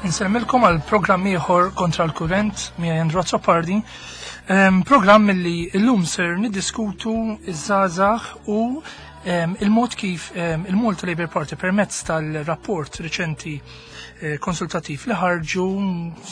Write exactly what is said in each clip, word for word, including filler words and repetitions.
Insellmilkom għal programm ieħor Kontra l-Kurrent miegħi Andrew Azzopardi. Ehm, programm li llum ser niddiskutu iż-żgħażagħ u ehm, il-mod kif ehm, il-Malta Labour Party permezz tal-rapport riċenti eh, konsultattiv li ħarġu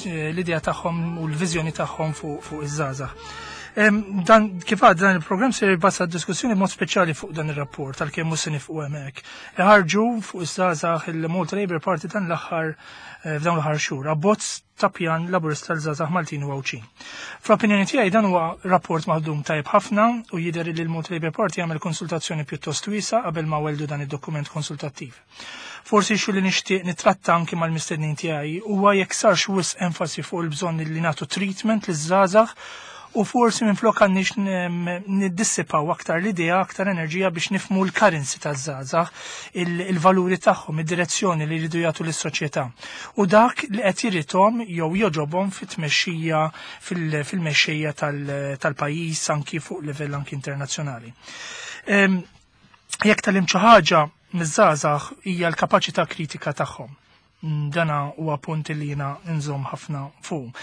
eh, l-idea tagħhom u l-viżjoni tagħhom fuq fuq iż-żgħażagħ. Dan kif għad dan il-programm se jibbaża diskussjoni mod speċjali fuq dan ir-rapport tal-kemm mhux se nifqu hemmhekk. Ħarġu fuq iż-żgħażagħ il-Malta Labour Party dan l-aħħar eh, f'dawn l-aħħar xhur, abbozz ta' pjan laburista l-żgħażagħ Maltin u Għawdxin. Fl-opinjoni tiegħi dan huwa rapport maħdum tajjeb ħafna u jidher li l-Malta Labour Party jagħmel konsultazzjoni pjuttost wiesa qabel ma weldu dan id-dokument konsultattiv. Forsi xu li nixtieq nitratta anki mal-mistednin tiegħi huwa jekk sarx wisq enfasi fuq il-bżonn li nagħtu treatment liż-żgħażagħ u forsi minn flok għandniex niddissipaw aktar l-idea, aktar enerġija biex nifmu l-currency taż-żgħażagħ, il-valuri tagħhom, id-direzzjoni li jridu jagħtu lis-soċjetà. U dak li qed jirritom jew joġobhom fit-tmexxija fil-mexxejja tal-pajjiż anki fuq livell anki internazzjonali. Jekk tgħallimt xi ħaġa miż-żgħażagħ hija l-kapaċità kritika tagħhom. Dana huwa punt li jiena nżomm ħafna fuq.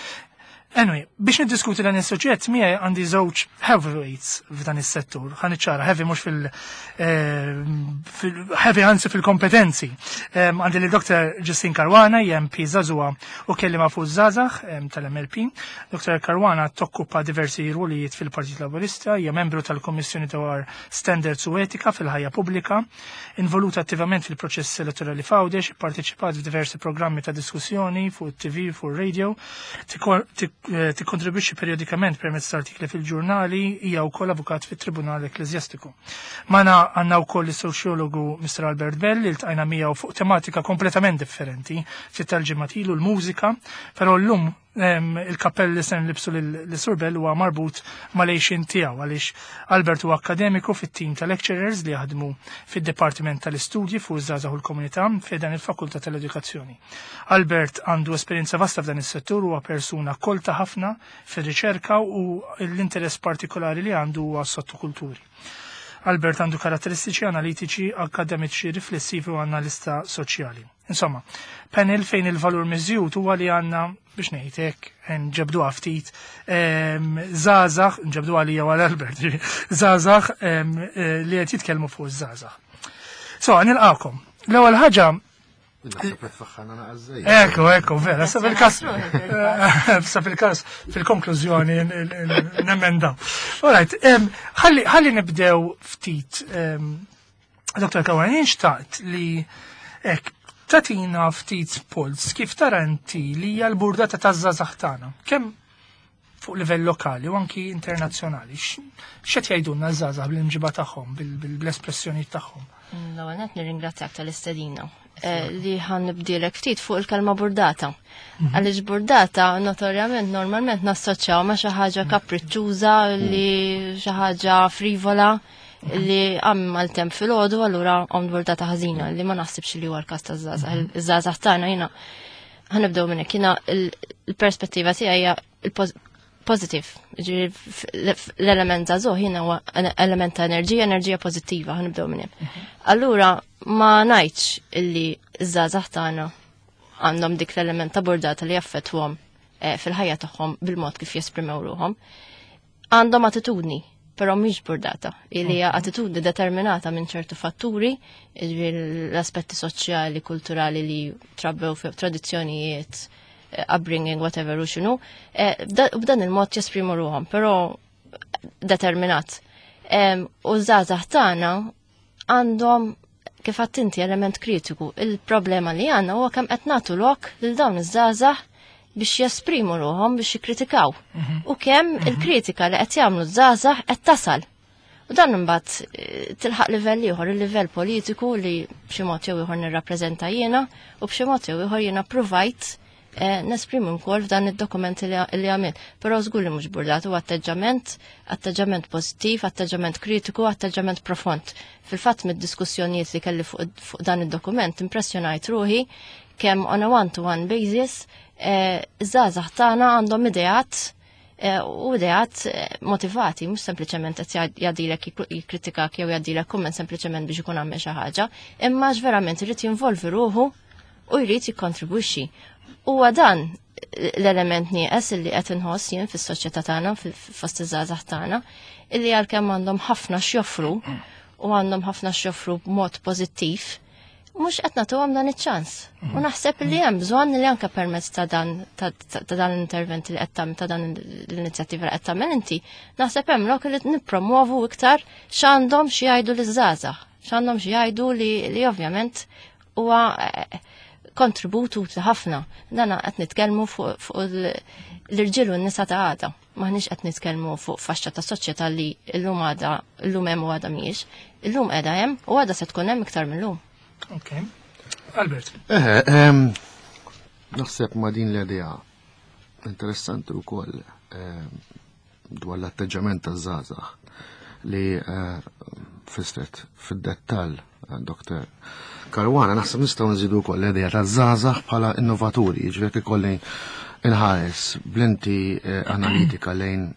Anyway, biex niddiskuti dan is-suġġett miegħi għandi żewġ heavyweights f'dan is-settur. Ħa niċċara heavy mhux fil, eh, fil heavy anzi fil-kompetenzi. Għandi li Dr. Justine Caruana, MP żagħżugħa u kelliema fuq żgħażagħ tal-MLP. Dr. Caruana tokkupa diversi rwolijiet fil-Partit Laburista, hija membru tal-Kommissjoni dwar Standards u Etika fil-ħajja pubblika, involuta attivament fil-proċess elettorali f'Għawdex, parteċipat f'diversi programmi ta' diskussjoni fuq TV, fuq radio, tikkontribwixxi periodikament permezz ta' artikli fil-ġurnali, hija wkoll avukat fit-Tribunal Ekkleżjastiku. Magħna għandna wkoll is-soċjologu Mr. Albert Bell li ltqajna miegħu fuq tematika kompletament differenti ftit tal-ġimgħat ilu l-mużika, però llum il-kappell li se nlibsu l-Sur Bell huwa marbut mal-għejxien tiegħu għaliex Albert huwa akkademiku fit-tim ta' lecturers li jaħdmu fid-Dipartiment tal-Istudji fuq iż-żgħażagħ u l-Komunità fejn il-Fakultà tal-Edukazzjoni. Albert għandu esperjenza vasta f'dan is-settur huwa persuna kolta ħafna fir-riċerka u l-interess partikolari li għandu huwa sottokulturi. Albert għandu karatteristiċi analitiċi, akademiċi, riflessivi u analista soċjali. Insomma, panel fejn il-valur miżjud huwa li għandna biex ngħidlek nġebdu ftit żgħażagħ, nġebdu għalija għal Albert, żgħażagħ li qed jitkellmu fuq iż-żgħażagħ. So, nilqakom. L-ewwel ħaġa Ekku, ekku, vera, sa fil-kas, sa fil-kas, fil-konklużjoni nemenda. Alright, ħalli nibdew ftit, Dr. Caruana, xtaqt li ek, tagħtina ftit puls kif tara inti li hija l-burdata taż-żgħażagħ tagħna. Kemm fuq livell lokali u anki internazzjonali. X'qed jgħidulna ż-żgħażagħ bil-imġiba tagħhom, bil-espressjoni tagħhom? L-ewwel nett nirringrazzjak tal-istedina eh, li ħa nibdilek ftit fuq il-kelma burdata. Mhm. Għaliex burdata notorjament normalment nassoċjaw ma' xi ħaġa kapriċċuża li xi ħaġa frivola li għam mal-temp fil-ħodu allura għom burdata ħażina li ma naħsibx li huwa l-każ taż-żgħażagħ. Mhm. Iż-żgħażagħ tagħna jiena ħa nibdew minn hekk jiena il-perspettiva tiegħi hija pozitiv. L-element żagħżugħ jiena huwa element ta' enerġija, enerġija pożittiva, ħa nibdew minn hemm. Mhm. Allura ma ngħidx illi ż-żgħażagħ tagħna għandhom dik l-element ta' burdata li jaffettwhom eh, fil-ħajja tagħhom bil-mod kif jesprimew ruhom. Għandhom attitudni, però mhix burdata, li hija attitudni determinata minn ċertu fatturi, l-aspetti soċjali, kulturali li trabbew fi tradizzjonijiet, eh, upbringing, whatever u x'inhu, eh, b'dan il-mod jesprimu ruhom, però determinat. U żgħażagħ tagħna għandhom kif inti element kritiku. Il-problema li għandna huwa kemm qed nagħtu lok lil dawn iż-żgħażagħ biex jesprimu ruhom biex jikkritikaw. Mhm. U kemm mhm. il-kritika li qed jagħmlu żgħażagħ qed tasal. U dan imbagħad eh, tilħaq livell ieħor, il-livell politiku li b'xi mod jew ieħor nirrappreżenta jiena u b'xi mod jew ieħor jiena provajt eh, nesprimi wkoll f'dan id-dokument li għamilt. Però żgur li mhux burdat huwa atteġġament, atteġġament pożittiv, atteġġament kritiku, atteġġament profond. Fil-fatt mid-diskussjonijiet li kelli fuq dan id-dokument impressjonajt ruħi kemm on a one-to-one basis eh, iż-żgħażagħ tagħna għandhom ideat eh, u ideat eh, motivati, mhux sempliċement qed jgħaddilek jikkritikak jew jgħaddilek kumment sempliċement biex ikun għamel xi ħaġa, imma verament irid jinvolvi ruħu u jrid jikkontribwixxi. Huwa dan l-element nieqes illi qed inħoss jien fis-soċjetà tagħna, fost iż-żgħażagħ tagħna, illi għalkemm għandhom ħafna x'joffru u għandhom ħafna x'joffru b'mod pożittiv, mhux qed nagħtuhom dan iċ-ċans. U naħseb li hemm bżonn li anke permezz ta' dan ta' dan l-intervent li qed tagħmel, ta' dan l-inizjattiva li qed tagħmel inti, naħseb hemm lok li nippromovu iktar x'għandhom xi jgħidu liż-żgħażagħ, x'għandhom xi jgħidu li li ovvjament huwa kontribut utli ħafna. Dan qed nitkellmu fuq l-irġiel u n-nisa ta' għada. Maħniex qed nitkellmu fuq faxxa ta' soċjetà li llum għada, llum hemm u għada mhijiex. Illum qiegħda hemm u għada se tkun hemm iktar minn lum. Ok. Albert. Eh, naħseb ma' din l-idea interessanti wkoll dwar l-atteġġament taż-żgħażagħ li fissret fid-dettall Doktor Caruana, naħseb nistgħu nżidu wkoll l-idea taż-żgħażagħ bħala innovaturi, jiġifieri ikolli inħares b'lenti analitika lejn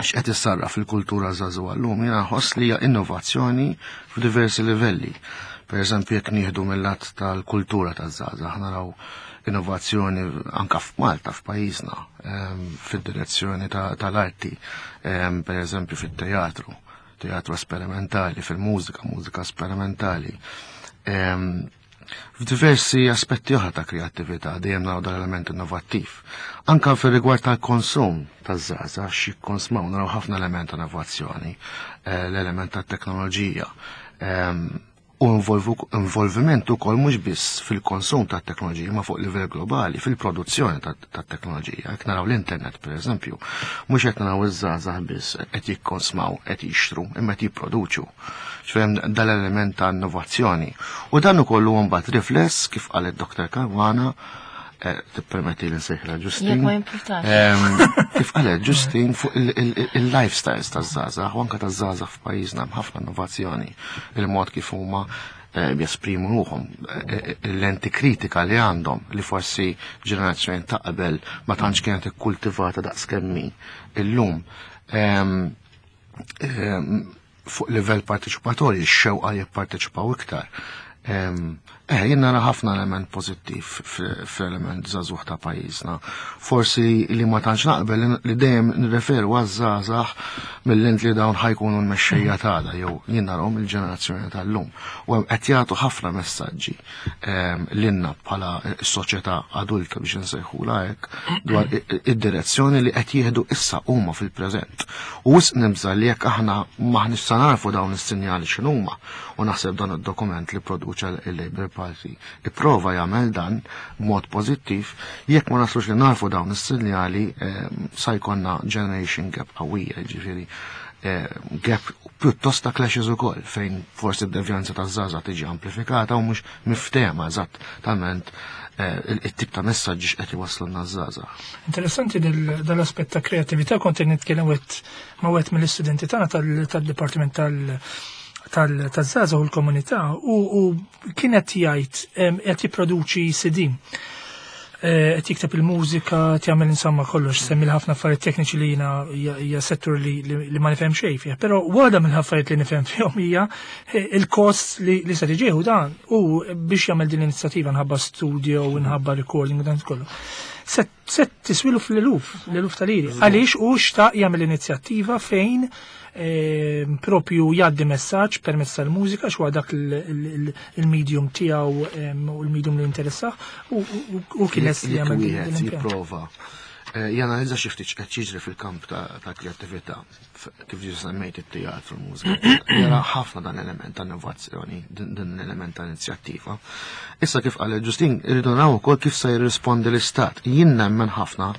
x'qed issarraf fil-kultura żagħżugħa llum, jiena nħoss li hija innovazzjoni f'diversi livelli. Per eżempju, jekk nieħdu mill-lat tal-kultura taż-żgħażagħ, naraw innovazzjoni anka f'Malta, f'pajjiżna, fid-direzzjoni tal-arti, per eżempju fit-teatru, teatru sperimentali, fil-mużika, mużika sperimentali. F'diversi aspetti oħra ta' kreattività dejjem naraw dan element innovattiv. Anka fir-rigward tal-konsum taż-żgħażagħ, x'jikkonsmaw, naraw ħafna element ta' innovazzjoni, l-element tat-teknoloġija. U involviment ukoll mhux biss fil-konsum tat-teknoloġija ma fuq livell globali, fil-produzzjoni tat-teknoloġija. Jekk naraw l-internet pereżempju, mhux qed naraw iż-żgħażagħ biss qed jikkonsmaw, qed jixtru, imma qed jipproduċu. Ġifieri dal-element ta' innovazzjoni. U dan ukoll huwa mbagħad rifless kif qalet Doktor Caruana, tippermetti li nsejħilha Ġustin. Jekk ma jimpurtax. Kif qalet Ġustin fuq il-lifestyles taż-żgħażagħ u anke taż-żgħażagħ f'pajjiżna hemm ħafna innovazzjoni. Il-mod kif huma jesprimu ruħhom, il-lenti kritika li għandhom li forsi ġenerazzjoni ta' qabel ma tantx kienet ikkultivata daqs kemm hi illum. Fuq livell parteċipatorju, x-xewqa jipparteċipaw iktar. Eh, jien nara ħafna element pożittiv fl-element żagħżugħ ta' pajjiżna. Forsi li ma tantx naqbel li dejjem nirreferu għaż-żgħażagħ mill-int li dawn ħajkunu l-mexxejja tagħna jew jien narahom il-ġenerazzjoni tal-lum. U qed jagħtu ħafna messaġġi lilna bħala s-soċjetà adulta biex insejħulha hekk dwar id-direzzjoni li qed jieħdu issa huma fil-preżent. U wisq nibża' li jekk aħna maħniex sa narfu dawn is-sinjali x'inhuma, u naħseb dan id-dokument li produċa il-Labour Party ipprova jagħmel dan b'mod pożittiv, jekk ma naslux li narfu dawn is-sinjali sa jkollna generation gap qawwija, jiġifieri gap pjuttost ta' clashes ukoll fejn forsi d-devjanza taż-żgħażagħ tiġi amplifikata u mhux miftehma eżattament it-tip ta' messaġġi x'qed iwasslulna ż-żgħażagħ. Interessanti dal-aspett ta' kreattività, kont qed nitkellem ma' wieħed mill-istudenti tagħna tal-dipartiment tal- tal-żgħażagħ u l-komunità u kienet jgħid qed jipproduċi C D. Qed jikteb il-mużika, qed jagħmel insomma kollox, semmi ħafna affarijiet tekniċi li jiena hija settur li ma nifhem xejn fih, però waħda mill-affarijiet li nifhem fihom hija il-kost li se tiġieħu dan u biex jagħmel din l-inizjattiva nħabba studio u nħabba recording u dan kollu. Se tiswilu fl-eluf, l-eluf tal-liri. Għaliex u xtaq jagħmel inizjattiva fejn propju jgħaddi messaġġ permezz tal-mużika, x'huwa dak il-medium tiegħu u l-medium li jinteressah u kien lest li jagħmel din l-impjant. Jipprova janalizza xi ftit x'qed jiġri fil-kamp ta' kreattività, kif ġi semmejt it-teatru, l-mużika, jara ħafna dan l-element ta' innovazzjoni, din l-element ta' inizjattiva. Issa kif qal Ġustin, irridu naraw ukoll kif se jirrispondi l-Istat. Jien nemmen ħafna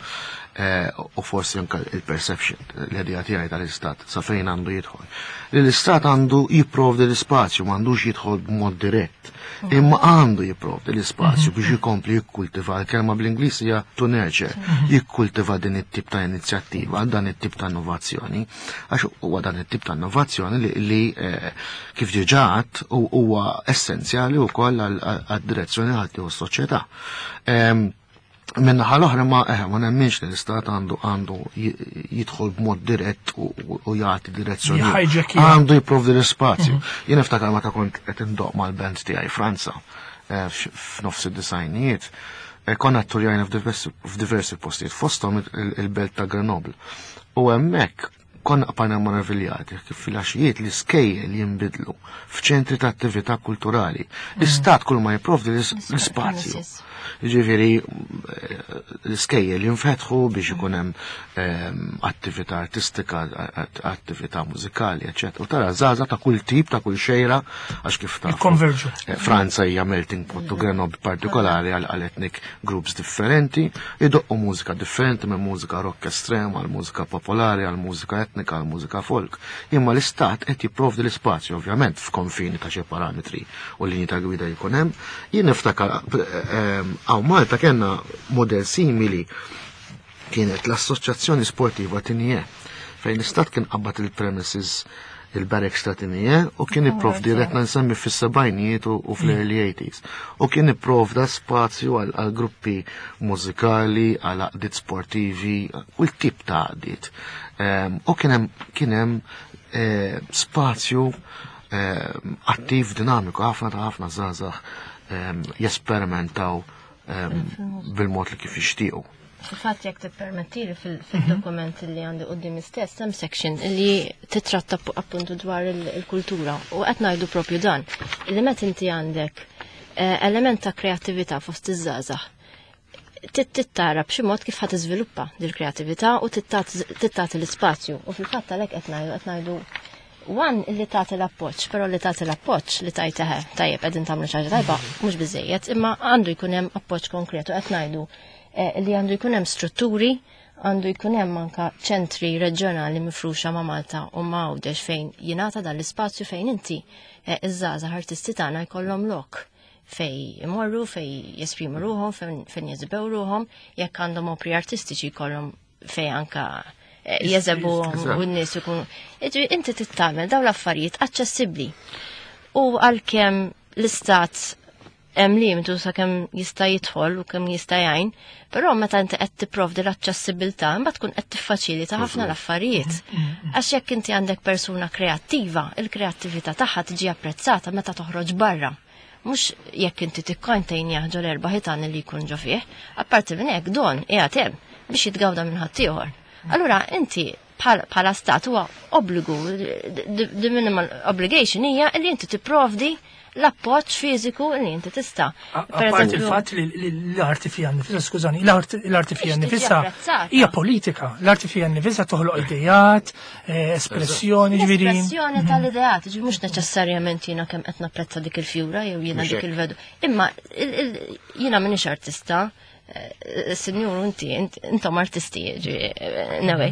u forsi anke il-perception, l-idea tiegħi tal-Istat sa fejn għandu jidħol. Li l-Istat għandu jipprovdi l-ispazju, m'għandux jidħol b'mod dirett, imma għandu jipprovdi l-ispazju biex jikompli jikkultiva, l-kelma bl-Ingliż hija to nurture, jikkultiva din it-tip ta' inizjattiva, dan it-tip ta' innovazzjoni, għax huwa dan it-tip ta' innovazzjoni li kif diġà għedt huwa essenzjali wkoll għad-direzzjoni ħadd tieħu s-soċjetà. Minnaħa l-oħra ma eh, ma nemminx li l-Istat għandu għandu jidħol b'mod dirett u jagħti direzzjoni. Għandu jipprovdi l-ispazju. Jien niftakar meta kont qed indoq mal-band tiegħi Franza f'nofs id-disajnijiet, Eh, Konna tturjajna f'diversi f'diversi postijiet, fosthom il- il-belt ta' Grenoble. U hemmhekk konna bqajna meraviljati kif fil-għaxijiet l-iskejjel jinbidlu f'ċentri ta' attività kulturali. L-istat kull ma jipprovdi l-ispazju. Premises. Ġifieri, l-iskejjel jinfetħu biex ikun hemm ehm, attività artistika, attività mużikali, eccetera. U tara żgħażagħ ta' kull tip, ta' kull xejra, għax kif tafu. Jikkonverġu. Eh, Franza hija melting pot u Grenoble partikolari għal għal ethnic groups differenti, idoqqu mużika differenti minn mużika rock estrema għal mużika popolari, għal mużika etnika, għal mużika folk. Imma l-istat qed jipprovdi l-ispazju ovvjament f'konfini ta' xi parametri u linji ta' gwida jkun hemm. Jien niftakar hawn Malta kellna model simili kienet l-Assoċjazzjoni Sportiva Tignè fejn l-istat kien qabad il-premises il-barracks ta' Tignè u kien ipprovdi qed nsemmi fis-sebgħinijiet u u fl-early eighties. U kien ipprovda spazju għal għal gruppi mużikali, għal għaqdiet sportivi, kull tip ta' għaqdiet. Ehm, U kien hemm kien hemm eh, spazju ehm, attiv dinamiku ħafna ta' ħafna żgħażagħ ehm, jesperimentaw ehm, bil-mod li kif jixtiequ. Fil-fatt, jekk tippermettili, fil-dokument li għandi qudiemi stess hemm section li titratta pu- appuntu dwar il- il-kultura u qed ngħidu propju dan. Li meta inti għandek eh, element ta' kreattività fost iż-żgħażagħ, tittara b'xi mod kif ħa tiżviluppa dil-kreattività u tagħti l-ispazju. U fil-fatt għalhekk qed ngħidu qed ngħidu one li tagħti l-appoġġ, però li tagħti l-appoġġ li tajt eħe, tajjeb, qegħdin tagħmlu xi ħaġa tajba, mhux biżejjed, imma għandu jkun hemm appoġġ konkretu. Qed ngħidu eh, li għandu jkun hemm strutturi, għandu jkun hemm anka ċentri reġjonali mifruxa ma' Malta u ma' Għawdex fejn jingħata dan l-ispazju fejn inti eh, iż-żgħażagħ artisti tagħna jkollhom lok fej imorru, fej jesprimu ruħhom, fejn fejn jeżibew ruħhom, jekk għandhom opri artistiċi jkollhom fej anka eh, jeżebu Eżatt. u n-nies ikunu. Jiġifieri inti tittamel dawn l-affarijiet aċċessibbli. U għalkemm l-istat hemm limitu sakemm jista' jidħol u kemm jista' jgħin, però meta inti qed tipprovdi l-aċċessibilità, imbagħad tkun qed tiffaċilita ħafna l-affarijiet. Għax jekk inti għandek persuna kreattiva, il-kreattività tagħha tiġi apprezzata meta toħroġ barra. Mhux jekk inti tikkontejn ġo l-erba' ħitan li jkun ġo fih, apparti minn hekk don qiegħed hemm biex jitgawda minn ħaddieħor. Allura inti bħala stat huwa obbligu, the the minimal obligation hija li inti tipprovdi l-appoġġ fiżiku li inti tista'. A Per parti eżempju- il-fatt li li l-arti fija nifisa, skużani, l-arti l-arti fija Biex tiġi nifisa apprezzata. hija politika. L-arti fija nifisa toħloq idejat, eh, espressjoni, ġifieri. L-espressjoni tal-ideat, ġi mhux neċessarjament jiena kemm qed napprezza dik il-fjura jew jiena Mhux dik hekk. il-vedu. Imma il- il- jiena m'iniex artista, eh, sinjur, inti, int- intom artisti, ġi, eh, anyway.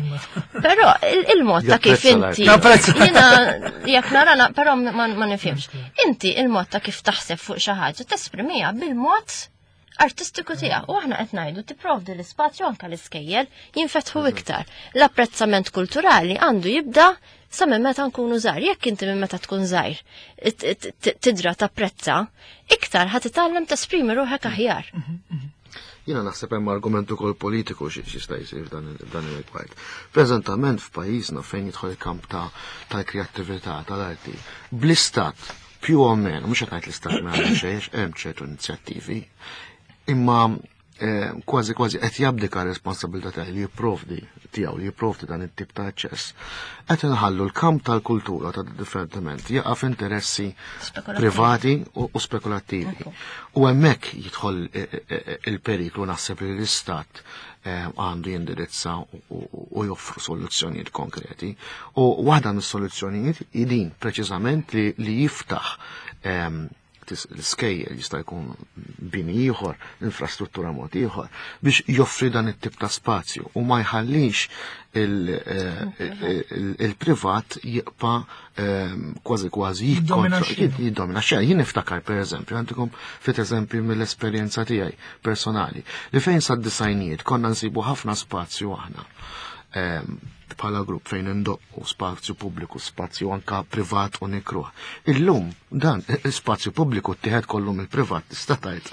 Però il- il-mod ta' kif Japprezza inti. l-art. Napprezza. Jiena jekk nara, però ma ma nifhimx. Inti il-mod ta' kif taħseb fuq xi ħaġa tesprimiha bil-mod artistiku tiegħek. U aħna qed ngħidu tipprovdi l-ispazju, anke l-iskejjel jinfetħu iktar. L-apprezzament kulturali għandu jibda sa minn meta nkunu żgħar. Jekk inti minn meta tkun żgħir it- it- t- tidra tapprezza, iktar ħa titgħallem tesprimi ruħek aħjar. Jiena naħseb hemm argument ukoll politiku xi jista' jsir f'dan il- f'dan ir-rigward. Preżentament f'pajjiżna fejn jidħol il-kamp ta' tal-kreattività tal-arti, bl-istat più o meno, mhux qed ngħid l-istat ma jagħmel xejn, hemm ċertu inizjattivi, imma eh, kważi kważi qed jabdika responsabilità tiegħu li jipprovdi tiegħu li jipprovdi dan it-tip ta' aċċess. Qed inħallu l-kamp tal-kultura ta' divertiment jaqa' f'interessi Spekulattivi. privati u, u spekulattivi. U hemmhekk jidħol eh, eh, eh, il-periklu naħseb li l-istat eh, għandu jindirizza u, u, u joffru soluzzjonijiet konkreti. U waħda mis-soluzzjonijiet hi din preċiżament li, li jiftaħ ehm, tis- l-iskejjel, jista' jkun bini ieħor, infrastruttura mod ieħor, biex joffri dan it-tip ta' spazju u ma jħallix il- eh, il- il-privat jibqa' ehm, kważi kważi Jiddomina jikkontrolla- x-xena. jiddomina xejn. Jien niftakar, pereżempju, għandikom ftit eżempju mill-esperjenza tiegħi personali, li fejn sad-disgħinijiet konna nsibu ħafna spazju aħna ehm, bħala grupp fejn indoqqu, spazju pubbliku, spazju anka privat u nikruh. Illum dan spazju pubbliku ttieħed kollu mill-privat, tista' tgħid,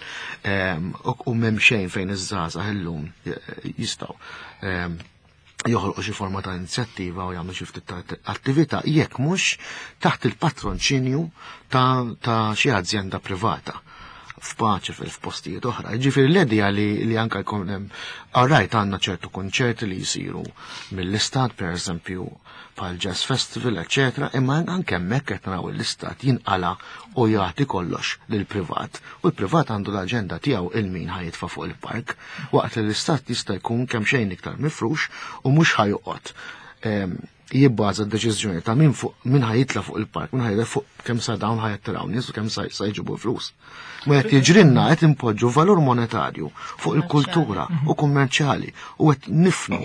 ehm, u u m'hemm xejn fejn iż-żgħażagħ illum eh, jistgħu ehm, joħolqu xi forma ta' inizjattiva u jagħmlu xi ftit ta' attività jekk mhux taħt il-patronċinju ta' ta' xi ażjenda privata. f'paċi fil-postijiet oħra. Ġifieri l-idea li, li anka jkun hemm alright għandna ċertu konċerti li jsiru mill-istat, pereżempju bħal Jazz Festival, eċetera, imma anke hemmhekk qed naraw l-istat jinqala u jagħti kollox lill-privat. U l-privat għandu l-aġenda tiegħu il min ħa jitfa' fuq il-park, waqt li l-istat jista' jkun kemm xejn iktar mifrux u mhux ħajoqgħod jibbaża d-deċiżjoni ta' min fuq min ħajitla fuq il-park, min ħajitla fuq kemm sa dawn ħajattiraw nies u kemm sa jġibu flus. Ma qed jiġrilna qed impoġġu valur monetarju fuq il-kultura u kummerċjali u qed nifnu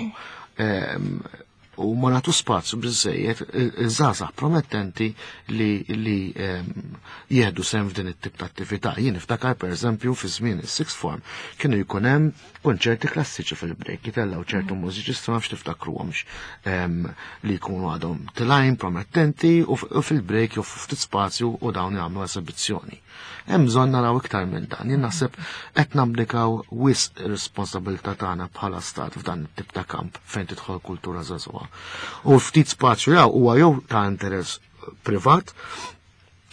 u ma nagħtu spazju biżejjed iż-żgħażagħ promettenti li li jieħdu sehem f'din it-tip ta' attività. Jien niftakar pereżempju fi żmien is-sixth form kienu jkun hemm konċerti klassiċi fil-break, jitellgħu ċertu mużiċisti ma nafx tiftakruhomx li jkunu għadhom tilgħin promettenti u fil-break jew ftit spazju u dawn jagħmlu esibizzjoni. Hemm bżonn naraw iktar minn dan. Jien naħseb qed nabdikaw wisq ir-responsabilità tagħna bħala stat f'dan it-tip ta' kamp fejn tidħol kultura żagħżugħa. U ftit spazju jew huwa jew ta' interess privat,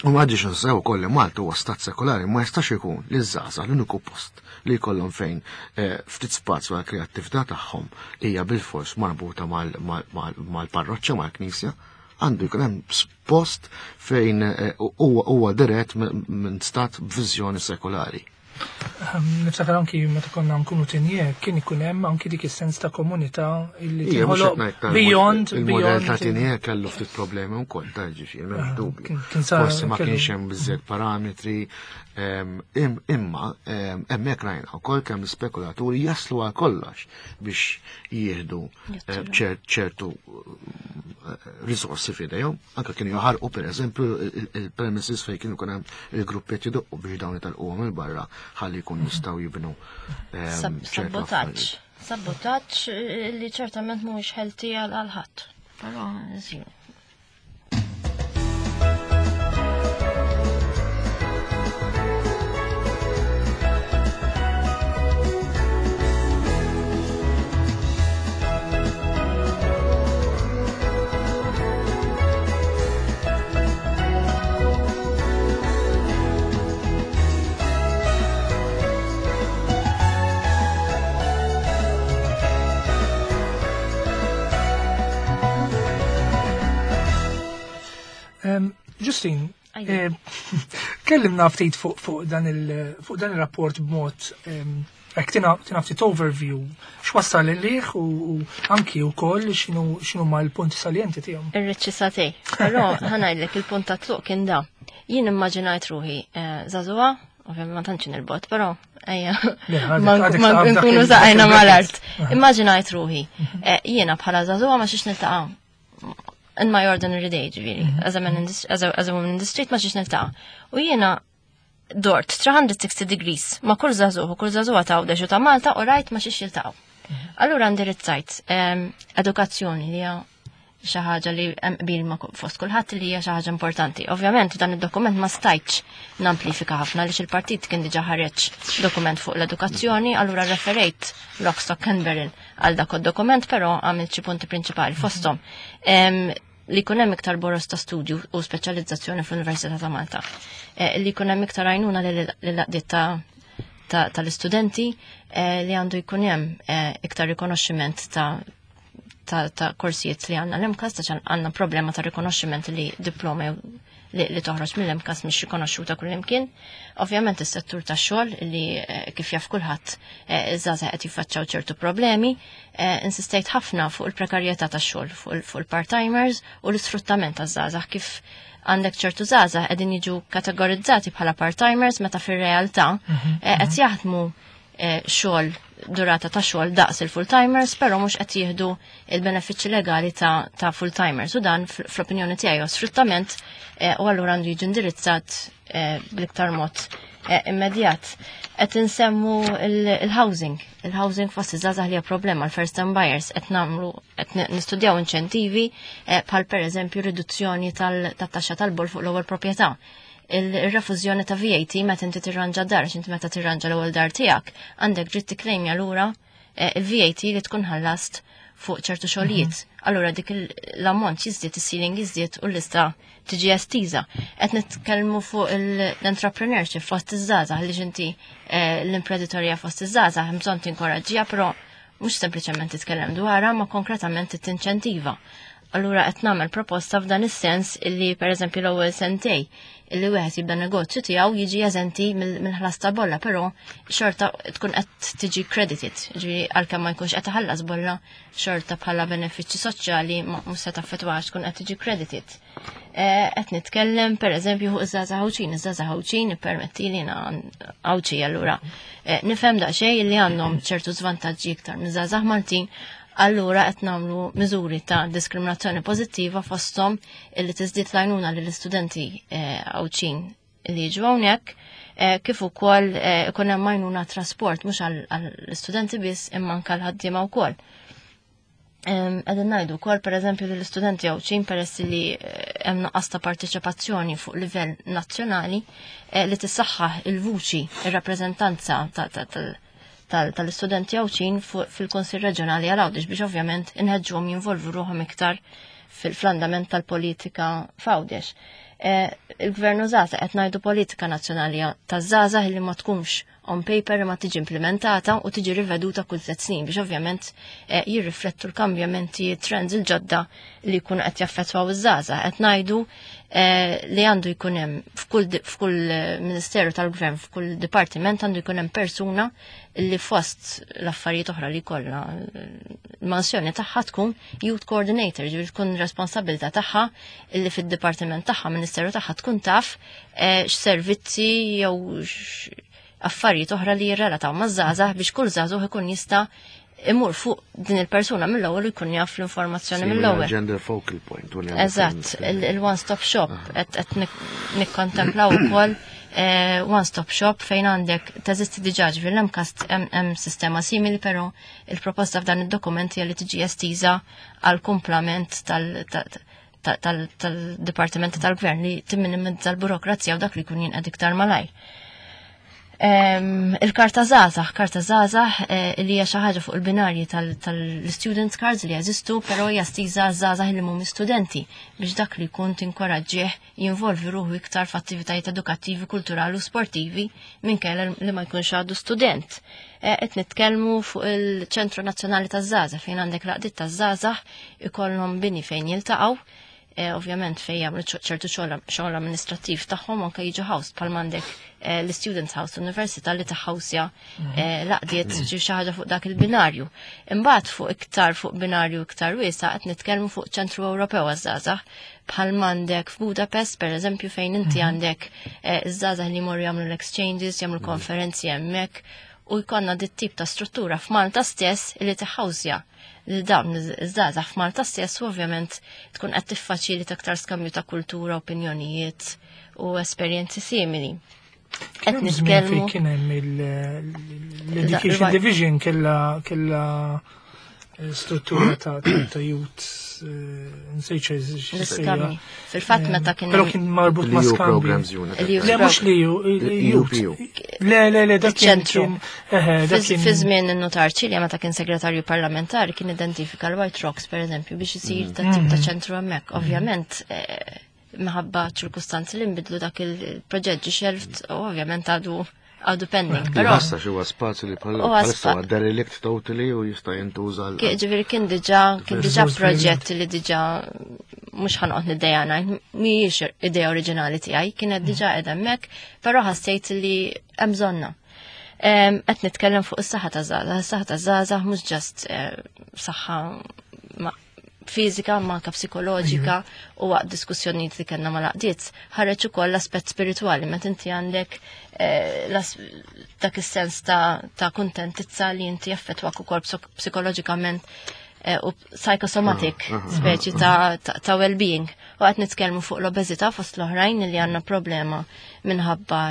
u ma ġiex nsew ukoll li Malta huwa stat sekolari, ma jistax ikun li żgħażagħ l-uniku post li jkollhom fejn ftit spazju għal kreattività tagħhom hija bilfors marbuta mal-parroċċa, mal-knisja. Għandu jkun hemm post fejn huwa dirett minn stat b'viżjoni sekolari. Niftakar anki meta konna nkunu tinje, kien ikun hemm anki dik is-sens ta' komunità illi tinħoloq beyond il-modell ta' tinje kellu ftit problemi wkoll ta' ġifieri m'hemmx dubju. Forsi ma kienx hemm biżżejjed parametri, imma hemmhekk rajna wkoll kemm l-spekulaturi jaslu għal kollox biex jieħdu ċertu risorsi f'idejhom. Anke kienu jaħarqu pereżempju il-premises fejn kienu jkun hemm il-gruppetti jdoqqu biex dawn italquhom il barra ħalli jkun jistgħu jibnu sabotaġġ. Sabotaġġ li ċertament mhuwiex healthy għal ħadd. Però żienu. Justine, kellimna ftit fuq dan il-rapport b'mod hekk tina ftit overview x'wassal lih u anki wkoll x'inhu ma l-punti salienti tiegħu. Irriċċi satej, però ħa ngħidlek il-punt ta' tluq kien da. Jien immaġinajt ruħi żagħżugħa, ovvjament ma tantx nilbot, però ejja ma nkunu saqajna mal-art. Immaġinajt ruħi jiena bħala żagħżugħa ma xiex niltaqa' in my ordinary day, ġifieri, as a man in the, as a, as a woman in the street, ma xiex niltaqa'. U jiena dort three sixty degrees ma kull żagħżugħ u kull żagħżugħa ta' Għawdex u ta' Malta u rajt ma xiex jiltaqgħu. Allura ndirizzajt edukazzjoni li hija xi ħaġa li hemm qbil ma' fost kulħadd li hija xi ħaġa importanti. Ovvjament dan id-dokument ma stajtx namplifika ħafna għaliex il-partit kien diġà ħareġ dokument fuq l-edukazzjoni, allura referejt lock, stock and barrel għal dak id-dokument, però għamilt xi punti prinċipali fosthom li jkun hemm iktar boros ta' studju u speċjalizzazzjoni fl-Università ta' Malta, li jkun hemm iktar għajnuna lill-għaqdiet tal-istudenti, li għandu jkun hemm iktar rikonoxximent ta' ta' korsijiet li għandna l-MCAST, għax għandna problema ta' rikonoxximent li diploma li, li toħroġ mill-MCAST mhix rikonoxxuta kullimkien. Ovvjament is-settur tax-xogħol li kif jaf kulħadd iż-żgħażagħ qed jiffaċċjaw ċertu problemi, insistejt ħafna fuq il-prekarjetà tax-xogħol, fuq il-part-timers u l-isfruttament taż-żgħażagħ, kif għandek ċertu żgħażagħ qegħdin jiġu kategorizzati bħala part-timers meta fir-realtà qed jaħdmu xogħol durata ta' xogħol daqs il-full-timers, però mhux qed jieħdu il-benefiċċji legali ta', ta' full-timers, u dan fl-opinjoni tiegħi huwa sfruttament u allura għandu jiġi indirizzat bl-iktar mod immedjat. Qed insemmu il-housing, il-housing fost iż-żgħażagħ li hija problema, l-first time buyers, qed nagħmlu qed nistudjaw inċentivi bħal pereżempju riduzzjoni tat-taxxa tal-bol fuq l-ewwel proprjetà. Il-refużjoni ta' V A T meta inti tirranġa dar, għax inti meta tirranġa l-ewwel dar tiegħek, għandek dritt tikklejmja lura il-V A T li tkun ħallast fuq ċertu xogħlijiet. Allura dik l-ammont jiżdied, is-ceiling jiżdied u l-lista tiġi estiża. Qed nitkellmu fuq l-entrepreneurship fost iż-żgħażagħ li inti eh, l-imprenditorja fost iż-żgħażagħ hemm bżonn tinkoraġġiha, però mhux sempliċement titkellem dwarha ma konkretament tinċentiva. Allura qed nagħmel proposta f'dan is-sens illi, pereżempju, l-ewwel sentej illi wieħed jibda negozju tiegħu jiġi eżenti mill-ħlas ta' bolla, però xorta tkun qed tiġi credited, ġifieri għalkemm ma jkunx qed iħallas bolla, xorta bħala benefiċċji soċjali mhux se taffettwax, tkun qed tiġi credited. Eh, qed nitkellem pereżempju fuq iż-żgħażagħ Għawdxin, iż-żgħażagħ Għawdxin, ippermetti li Għawdxi allura eh, nifhem daqsxejn li għandhom ċertu żvantaġġi iktar miż-żgħażagħ Maltin. Allura qed nagħmlu miżuri ta' diskriminazzjoni pożittiva, fosthom illi tiżdied l-għajnuna lill-istudenti eh, Għawdxin li jiġu hawnhekk, eh, kif ukoll eh, ikun hemm għajnuna trasport mhux għall-istudenti biss imma anke l-ħaddiema wkoll. Qegħdin ngħidu wkoll, pereżempju, li l-istudenti Għawdxin, peress li hemm nuqqas ta' parteċipazzjoni fuq livell nazzjonali, li tissaħħaħ il-vuċi, ir-rappreżentanza tal-istudenti Għawdxin fil-Konsil Reġjonali għal Għawdex biex ovvjament inħeġġuhom jinvolvu ruħhom iktar fil-andament tal-politika f'Għawdex. Eh, il-gvern żgħażagħ, qed ngħidu politika nazzjonali taż-żgħażagħ li ma tkunx on paper ma tiġi implementata u tiġi riveduta kull tliet snin biex ovvjament eh, jirriflettu l-kambjamenti, trends il-ġodda li jkunu qed jaffettwaw iż-żgħażagħ. Qed ngħidu eh, li għandu jkun hemm f'kull ministeru tal-gvern, f'kull dipartiment għandu jkun hemm persuna li fost l-affarijiet oħra li kollha l-mansjoni tagħha tkun youth coordinator, ġifieri tkun responsabilità tagħha li fid-dipartiment tagħha, ministeru tagħha, tkun taf eh, x'servizzi jew affarijiet oħra li jirrelataw maż-żgħażagħ biex kull żagħżugħ ikun jista' imur fuq din il-persuna mill-ewwel u jkun jaf l-informazzjoni mill-ewwel. Gender focal point. Eżatt, il-one stop shop qed nikkontemplaw ukoll eh, one stop shop fejn għandek teżisti diġà, ġifieri l-MCAST hemm sistema simili, però il-proposta f'dan id-dokument hija li tiġi estiża għal kumplament tal-dipartimenti tal-gvern li timminimizza l-burokrazija u dak li jkun jinqed iktar malajr. Il-karta żgħażagħ, karta żgħażagħ eh, li hija xi ħaġa fuq il-binarji tal-students cards li jeżistu, però hija estiża żgħażagħ li mhumiex studenti biex dak li jkun tinkoraġġih jinvolvi ruħu iktar f'attivitajiet edukattivi, kulturali u sportivi minkejja li ma jkunx għadu student. Eh, qed nitkellmu fuq il-Ċentru Nazzjonali taż-Żgħażagħ fejn għandek l-għaqdiet taż-żgħażagħ ikollhom bini fejn jiltaqgħu, eh, ovvjament fejn jagħmlu ċertu xogħol amministrattiv tagħhom, anke jiġu housed bħal m'għandek eh, l-Students House Università li taħawsja eh, l-għaqdiet, ġi xi ħaġa fuq dak il-binarju. Imbagħad fuq iktar fuq binarju iktar wiesa' qed nitkellmu fuq Ċentru Ewropew għaż-żgħażagħ bħal m'għandek f'Budapest, pereżempju, fejn inti għandek iż-żgħażagħ li jmorru jagħmlu l-exchanges, jagħmlu konferenzi hemmhekk u jkollna dit tip ta' struttura f'Malta stess li tiħawsja li dawn iż-żgħażagħ f'Malta stess u ovvjament tkun qed tiffaċilita aktar skambju ta' kultura, opinjonijiet u esperjenzi simili. Qed nitkellmu kien hemm l-Education Division kella kella struttura ta' ta' youth, nsejt. L-iskambji. Fil-fatt meta kien Però kien marbut ma' skambji. Le, mhux li youth. Le, le, le, dak kien. Ċentru. Fi żmien in-notar Ċilja, meta kien segretarju parlamentari, kien identifika l-White Rocks, pereżempju, biex isir ta' tip ta' ċentru hemmhekk. Ovvjament minħabba ċirkustanzi li nbidlu dak il-proġett ġi shelved u ovvjament għadu għadu pending. Però ħassa xi huwa spazju li bħalissa huwa derelict totally u jista' jintuża. Ġifieri kien diġà kien diġà proġett li diġà, mhux ħa noqgħod niddejjaq ngħid, mhijiex idea oriġinali tiegħi, kienet diġà qiegħda hemmhekk, però ħassejt li hemm bżonna. Qed nitkellem fuq is-saħħa ta' żgħażagħ, is-saħħa ta' żgħażagħ mhux just eh, saħħa fizika ma anka psikoloġika, u waqt diskussjonijiet li kellna mal-għaqdiet ħareġ ukoll l-aspett spiritwali meta inti għandek eh, dak is-sens ta', ta kuntentizza li inti jaffettwak ukoll psikoloġikament eh, u psychosomatic ah, ah, ah, speċi ta', ta, ta well-being. U qed nitkellmu fuq l-obeżità fost l-oħrajn li għandna problema minħabba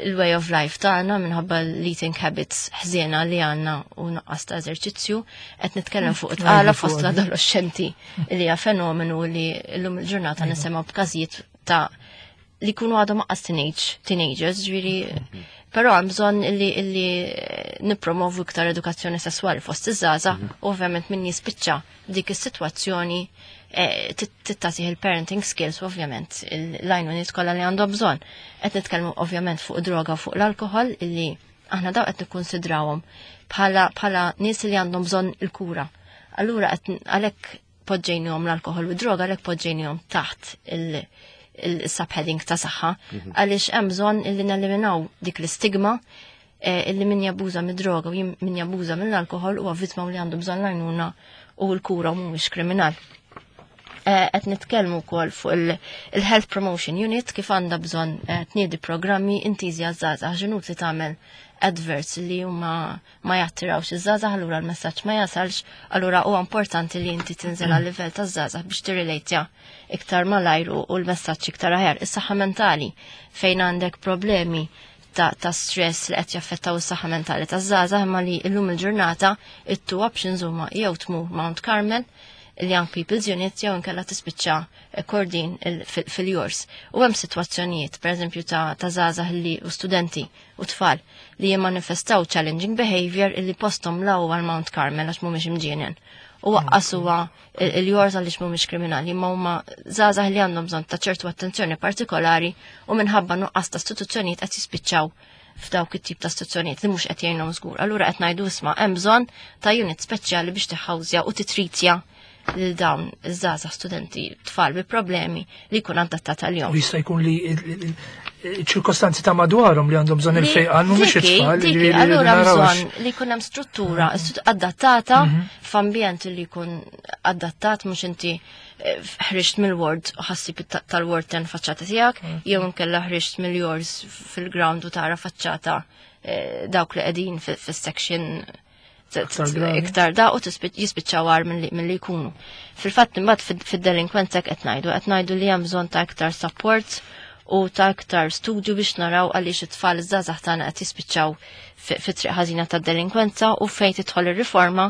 il-way of life tagħna, minħabba l-eating habits ħżiena li għandna u nuqqas ta' eżerċizzju. Qed nitkellem fuq tqala fost l-adolescenti li hija fenomenu li llum il-ġurnata nisimgħu b'każijiet ta' li jkunu għadhom anqas teenage teenagers, ġifieri Però hemm bżonn illi illi eh, nippromovu iktar edukazzjoni sesswali fost iż-żgħażagħ Mhm. u ovvjament min jispiċċa dik is-sitwazzjoni eh, tagħtih il-parenting skills u ovvjament l-għajnuniet kollha li għandhom bżonn. Qed nitkellmu ovvjament fuq droga u fuq l-alkohol illi aħna daw qed nikkonsidrawhom bħala bħala nies li għandhom bżonn il-kura. Allura qed għalhekk poġġejnihom l-alkohol u droga, għalhekk poġġejnihom taħt il- il-subheading ta' saħħa, għaliex hemm bżonn illi neliminaw dik l-istigma eh, illi min jabbuża mid-droga u jim- min jabbuża mill-alkohol huwa vittma u li għandu bżonn l-għajnuna u l-kura u mhuwiex kriminal. Eh, Qed nitkellmu wkoll fuq il- il-Health Promotion Unit, kif għandha bżonn eh, tniedi programmi intiżi għaż-żgħażagħ. Ġenut li tagħmel adverts li huma ma jattirawx iż-żgħażagħ, allura l-messaġġ ma jasalx. Allura huwa importanti li inti tinżel għal livell taż-żgħażagħ biex tirrelejtja iktar malajr u u l-messaġġ iktar aħjar. Is-saħħa mentali, fejn għandek problemi ta', ta' stress li qed jaffettaw is-saħħa mentali taż-żgħażagħ, imma li llum il-ġurnata it-two options huma jew tmur Mount Carmel, il-Young People's Unit, jew inkella tispiċċa eh, Kordin fil-YOURS. U hemm sitwazzjonijiet, pereżempju, ta' ta' żgħażagħ li u studenti u tfal li jimmanifestaw challenging behavior illi postom la huwa l-Mount Carmel għax mhumiex imġienen. U lanqas huwa il-YOURS għaliex mhumiex kriminali, imma huma żgħażagħ li għandhom bżonn ta' ċertu attenzjoni partikolari u minħabba nuqqas ta' istituzzjonijiet qed jispiċċaw f'dawk it-tip ta' istituzzjonijiet li mhux qed jgħinhom żgur. Allura qed ngħidu, isma', hemm bżonn ta' unit speċjali biex tiħawżja u titritja lil dawn iż-żgħażagħ, studenti, tfal bi problemi li jkun adattat għalihom. U jista' jkun li il-ċirkostanzi ta' madwarhom li għandhom bżonn il-fejqan, mhumiex it-tfal. Diki, ġifieri allura narawx. Bżonn li jkun hemm struttura adattata f'ambjent li jkun adattat, mhux inti eh, ħriġt mill-ward u ħassib tal-ward ten faċċata tiegħek, jew inkella ħriġt mill-YOURS fil-ground u tara faċċata eh, dawk li qegħdin fis-section Iktar gravi. Iktar da u jispiċċaw agħar milli jkunu. Fil-fatt imbagħad fid-delinkwenza qed ngħidu qed ngħidu li hemm bżonn ta' iktar support u ta' iktar studju biex naraw għaliex it-tfal iż-żgħażagħ tagħna qed jispiċċaw fit-triq ħażina tad-delinkwenza. U fejn tidħol ir-riforma,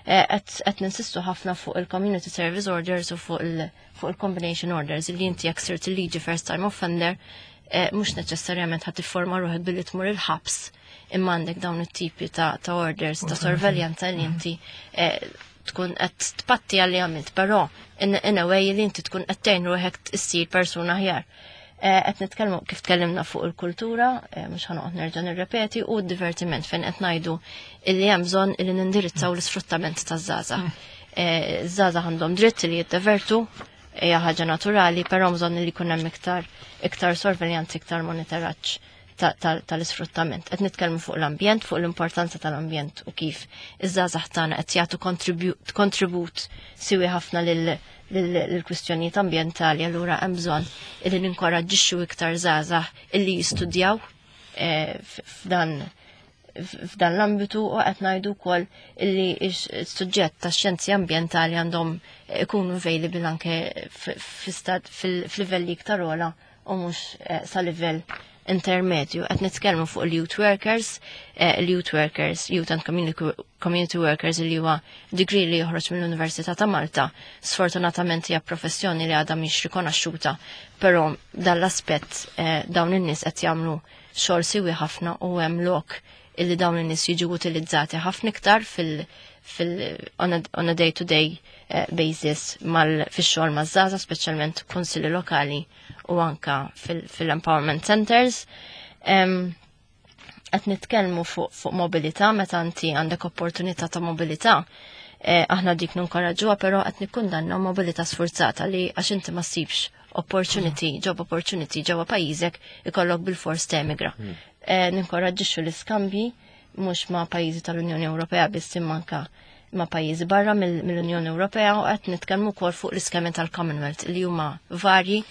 eh, qed ninsistu ħafna fuq il-community service orders u fuq il-combination orders, li inti jekk sirt il-liġi first time offender, eh, mhux neċessarjament ħadd tifforma ruħek billi tmur il-ħabs, imma għandek dawn it-tipi ta', ta orders ta' sorveljanza li inti eh, tkun qed tpatti għalli għamilt, però in, in a way li inti tkun qed tgħin ruħek issir persuna aħjar. Eh, qed nitkellmu kif tkellimna fuq il-kultura, eh, mhux ħanoqgħod nerġa' nirrepeti, u d-divertiment, fejn qed ngħidu illi hemm bżonn illi nindirizzaw l-isfruttament taż-żgħażagħ. Eh, Żgħażagħ għandhom dritt li jiddevertu, hija ħaġa naturali, però bżonn li jkun hemm iktar iktar sorveljanza, iktar monitoraġġ tal-isfruttament. Qed nitkellmu fuq l-ambjent, fuq l-importanza tal-ambjent u kif iż-żgħażagħ tagħna qed jagħtu kontribut siwi ħafna lill-kwistjonijiet ambjentali, allura hemm bżonn illi ninkoraġġixxu iktar żgħażagħ illi jistudjaw eh, f'dan f'dan l-ambitu. U qed ngħidu wkoll illi s-suġġett tax xjenzi ambjentali għandhom ikunu available anke fil-livelli iktar ogħla u mhux eh, sa livell intermedju. Qed nitkellmu fuq il-youth workers, eh, il-youth workers, youth and community workers, li huwa degree li joħroġ mill-Università ta' Malta. Sfortunatament hija professjoni li għadha mhix rikonoxxuta, però dan l-aspett eh, dawn in-nies qed jagħmlu xogħol siwi ħafna u hemm lok illi dawn in-nies jiġu utilizzati ħafna iktar fil- fil on a, on a day-to-day eh, basis mal fix-xogħol maż-żgħażagħ, speċjalment kunsilli lokali u anka fil-empowerment centers. Qed nitkellmu fuq fuq mobilità, meta inti għandek opportunità ta' mobilità. Eh, aħna dik ninkoraġġuha, però qed nikkundanna mobilità sforzata li għax inti ma ssibx opportunity, job opportunity ġewwa pajjiżek, ikollok bil-fors temigra. Mm. Eh, ninkoraġġixxu l-iskambji mhux ma' pajjiżi tal-Unjoni Ewropea biss, imma anka ma' pajjiżi barra mill-Unjoni Ewropea, u qed nitkellmu wkoll fuq l-iskemi tal-Commonwealth li huma varji,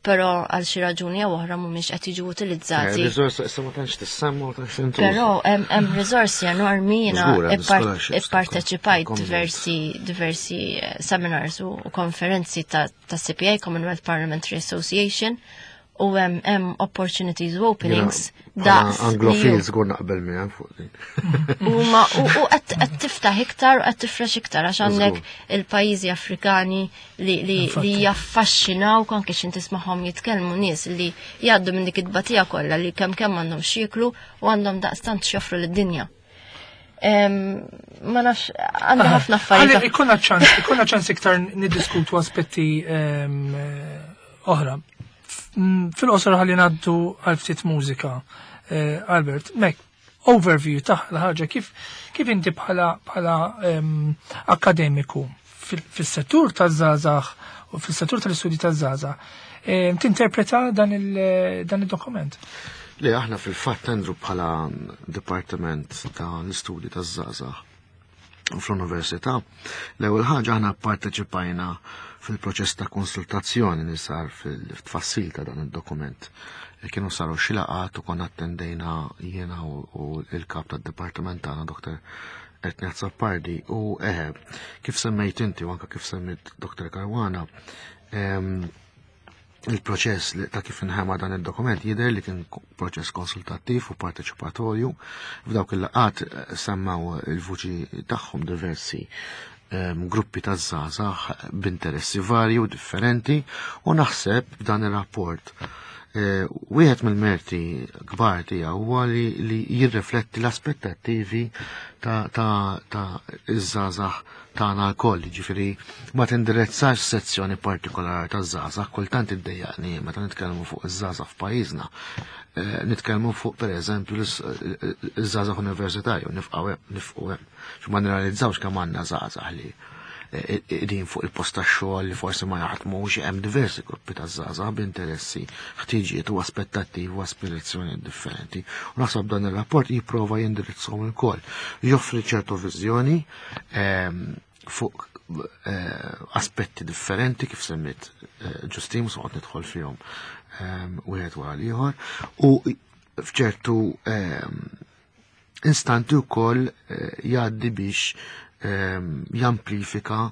però għal xi raġuni jew oħra mhumiex qed jiġu utilizzati. Riżorsa issa ma tantx tissemma u tantx tintuża. Però hemm riżorsi enormi. Jiena ipparteċipajt diversi diversi eh, seminars u konferenzi ta' C P A, Commonwealth Parliamentary Association, U hemm hemm opportunities u openings daqs. Anglofil żgur naqbel miegħek fuq din. U ma u qed tiftaħ iktar u qed tifrex iktar għax għandek il-pajjiżi Afrikani li li li jaffaxxinaw anke x'in tismagħhom jitkellmu nies li jgħaddu minn dik it-tbatija kollha li kemm kemm għandhom x'jieklu u għandhom daqstant x'joffru lid-dinja. Ma nafx, għandha ħafna affarijiet. Ikollna ċans, ikollna ċans iktar niddiskutu aspetti oħra. Fil-qosor ħalli ngħaddu għal ftit mużika. Albert, mek, overview ta' l-ħaġa, kif kif inti bħala bħala akademiku fis-settur taż-żgħażagħ u fis-settur tal-istudji taż-żgħażagħ, tinterpreta dan il-dokument? Le, aħna fil-fatt, Andrew, bħala Dipartiment tal-Istudji taż-Żgħażagħ fl-Università, l-ewwel ħaġa aħna pparteċipajna fil-proċess ta' konsultazzjoni li sar fil-tfassil ta' dan id-dokument. Kienu saru xi laqgħat u konna attendejna jiena u l-kap tad-dipartiment tagħna, Doktor Anthony Azzopardi, u eħe, kif semmejt inti u anke kif semmejt Doktor Caruana, il-proċess ta' kif inħema dan id-dokument jidher li kien proċess konsultattiv u parteċipatorju. F'dawk il-laqgħat semmaw il-vuċi tagħhom diversi gruppi ta' żgħażagħ b'interessi varji u differenti, u naħseb b'dan ir-rapport wieħed mill-merti kbar tiegħu huwa li jirrifletti l-aspettattivi ta' ta' iż-żgħażagħ tagħna lkoll, jiġifieri ma tindirizzax sezzjoni partikolari ta' żgħażagħ. Kultant iddejjaqni meta nitkellmu fuq iż-żgħażagħ f'pajjiżna. Nitkellmu fuq pereżempju iż-żgħażagħ universitarju, nifqgħu hemm, nifqu hemm. Ma nirrealizzawx kemm għandna żgħażagħ li qegħdin fuq il-post tax-xogħol li forsi ma jaħdmux, hemm diversi gruppi ta' żgħażagħ b'interessi, ħtiġijiet u aspettattivi u aspirazzjonijiet differenti. U naħseb dan ir-rapport jipprova jindirizzhom ukoll. Joffri ċertu viżjoni fuq aspetti differenti kif semmit Ġustin, mhux noqgħod nidħol fihom wieħed wara l-ieħor, u f'ċertu instanti wkoll jgħaddi biex jamplifika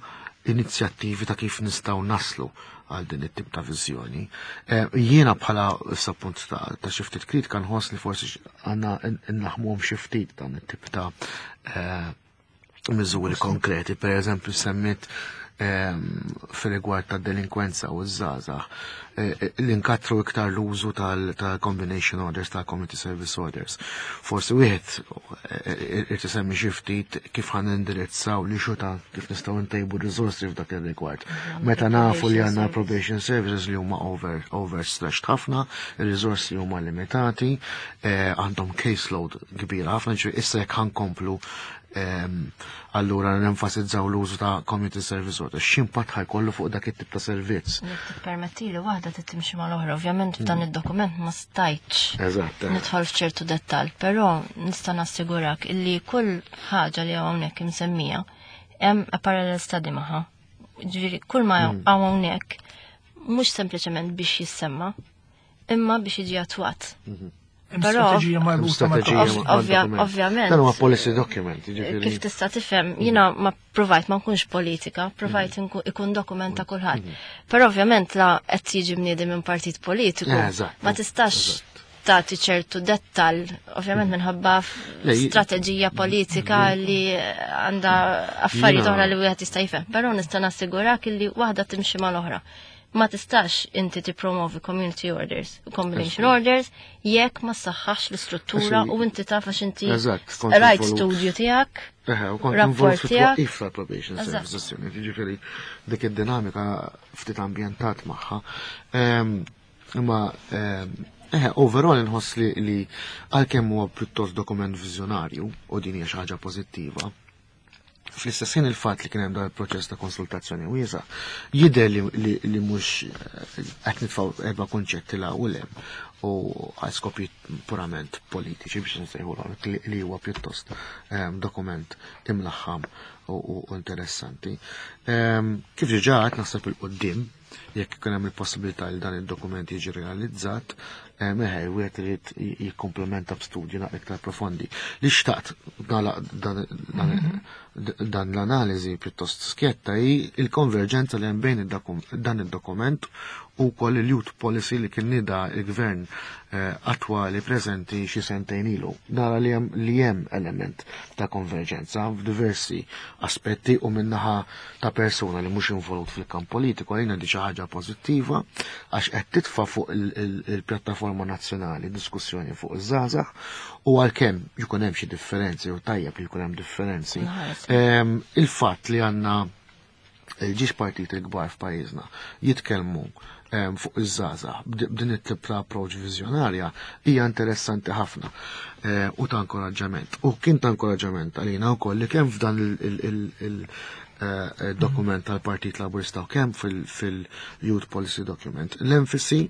inizjattivi ta' kif nistgħu naslu għal din it-tip ta' viżjoni. Jiena bħala issa punt ta' xi ftit kritika nħoss li forsi għandna nlaħmuhom xi ftit dan it-tip ta' miżuri konkreti. Per eżempju semmit fil-rigward ta' delinkwenza u ż-żgħażagħ, li nkatru iktar l-użu tal-combination orders, tal-community service orders. Forsi wieħed irid isemmi xi ftit kif ħan indirizzaw li xuta kif nistgħu ntejbu riżorsi f'dak ir-rigward. Meta nafu li għandna probation services li huma over overstretched ħafna, ir-riżorsi huma limitati, għandhom caseload kbira ħafna, ġifieri issa jekk ħankomplu allura nenfasizzaw l-użu ta' community service order, x'impatt ħajkollu fuq dak it-tip ta' servizz? Jekk tippermettili waħda trid timxi mal-oħra, ovvjament f'dan id-dokument ma stajtx Eżatt. nidħol f'ċertu dettall, però nista' nassigurak illi kull ħaġa li hawnhekk imsemmija hemm a parallel study magħha. Ġifieri kull ma hawn hawnhekk mhux sempliċement biex jissemma, imma biex jiġi attwat. Strateġija marbuta ma' Ovvjament. Dan huwa policy document, jiġifieri. Kif tista' tifhem, jiena ma provajt ma nkunx politika, provajt ikun dokument ta' kulħadd. Però ovvjament la qed jiġi mniedi minn partit politiku, ma tistax tagħti ċertu dettall, ovvjament minħabba strateġija politika li għandha affarijiet oħra li wieħed jista' jifhem. Però nista' nassigurak li waħda timxi mal-oħra. Ma tistax inti tippromovi community orders, combination orders, jekk ma saħħax l-istruttura u inti taf għax inti rajt studju tiegħek, rapport tiegħek. If probation services unit, jiġifieri dik id-dinamika ftit ambjentat magħha. Imma eh, overall inħoss li li għalkemm huwa pjuttost dokument viżjonarju u din hija xi ħaġa pożittiva, fl-istess ħin il-fatt li kien hemm dan il-proċess ta' konsultazzjoni wiesa' jidher li li mhux qed nitfgħu erba' kunċetti la u lem u għal skopi purament politiċi biex nsejħulhom li huwa pjuttost dokument imlaħħam u interessanti. Kif diġà qed naħseb il-qudiem jekk ikun hemm il-possibilità li dan id-dokument jiġi realizzat, meħe, wieħed irid jikkomplementa b'studji naqra iktar profondi. Li xtaqt dan l-analiżi pjuttost skjetta hi il-konverġenza li hemm bejn dan id-dokument u wkoll il-youth policy li kien nida il-gvern eh, attwali preżenti xi sentejn ilu. Nara li hemm li hemm element ta' konverġenza f'diversi aspetti u minnaħa ta' persuna li mhux involut fil-kamp politiku għalina di xi ħaġa pożittiva għax qed titfa' fuq il-pjattaforma nazzjonali diskussjoni fuq iż-żgħażagħ u għalkemm jkun hemm xi differenzi u tajjeb li jkun hemm differenzi. Il-fatt li għandna il-ġiex partiti l-kbar f'pajjiżna jitkellmu fuq iż-żgħażagħ b'din it-tip ta' approach viżjonarja hija interessanti ħafna u ta' inkoraġġament. U kien ta' inkoraġġament għalina wkoll li kemm f'dan il-dokument tal-Partit Laburista u kemm fil-Youth Policy Document l-enfasi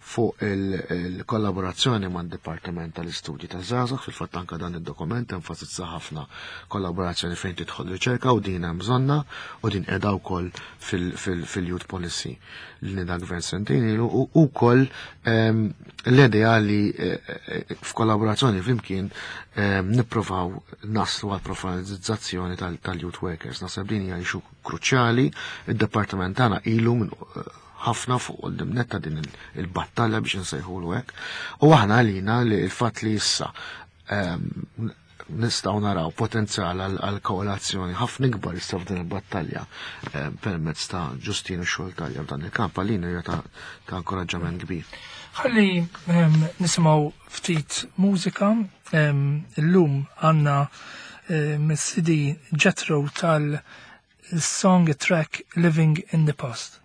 fuq il-kollaborazzjoni mad-Dipartiment tal-Istudji taż-Żgħażagħ, fil-fatt anke dan id-dokument enfasizza ħafna kollaborazzjoni fejn tidħol riċerka u din hemm bżonna u din qiegħda wkoll fil-Youth Policy li nida gvern sentejn ilu u wkoll l-idea li f'kollaborazzjoni flimkien nippruvaw naslu għal professionalizzazzjoni tal-youth workers. Naħseb din hija issue kruċjali, id-dipartiment tagħna ilu minn ħafna fuq quddiem netta din il-battalja biex nsejħulu hekk. U aħna għalina li l-fatt li issa nistgħu naraw potenzjal għal koalazzjoni ħafna ikbar issa f'din il-battalja permezz ta' Ġustinu xogħol talja f'dan il-kamp għalina hija ta' inkoraġġament kbir. Ħalli nisimgħu ftit mużika. Illum għandna mis-C D Jethro tal-song track Living in the Past.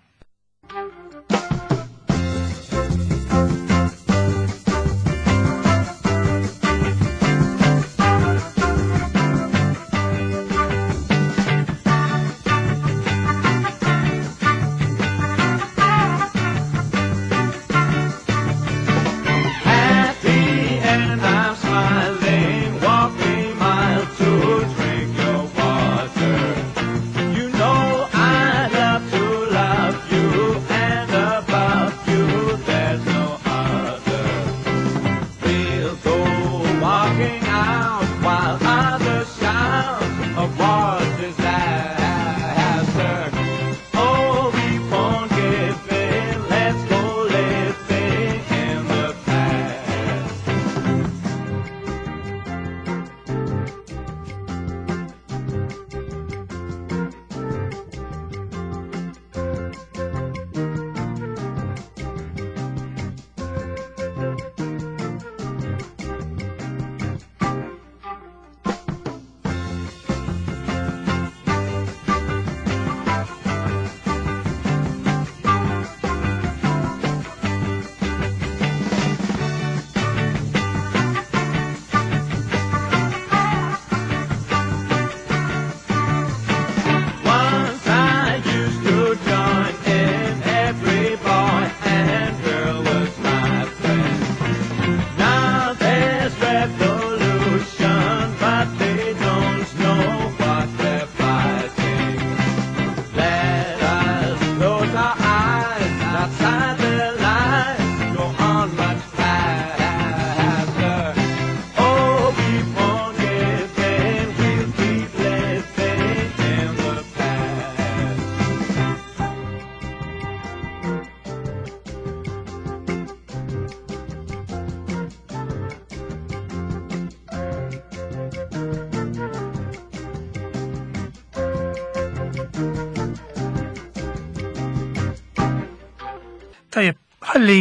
Tajjeb, ħalli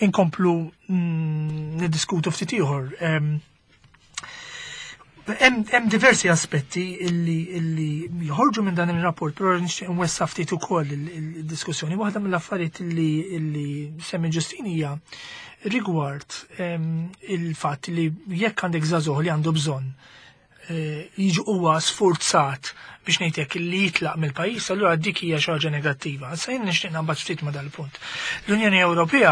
inkomplu niddiskutu ftit ieħor. Hemm diversi aspetti illi illi joħorġu minn dan ir-rapport, però nixtieq nwessa ftit ukoll il-diskussjoni. Waħda mill-affarijiet illi illi semmi Ġustin hija rigward il-fatt li jekk għandek żagħżugħ li għandu bżonn jiġu huwa sfurzat biex ngħidlek li jitlaq mill-pajjiż, allura dik hija xi ħaġa negattiva. Issa jien nixtieq naqbad ftit ma' dal-punt. L-Unjoni Ewropea,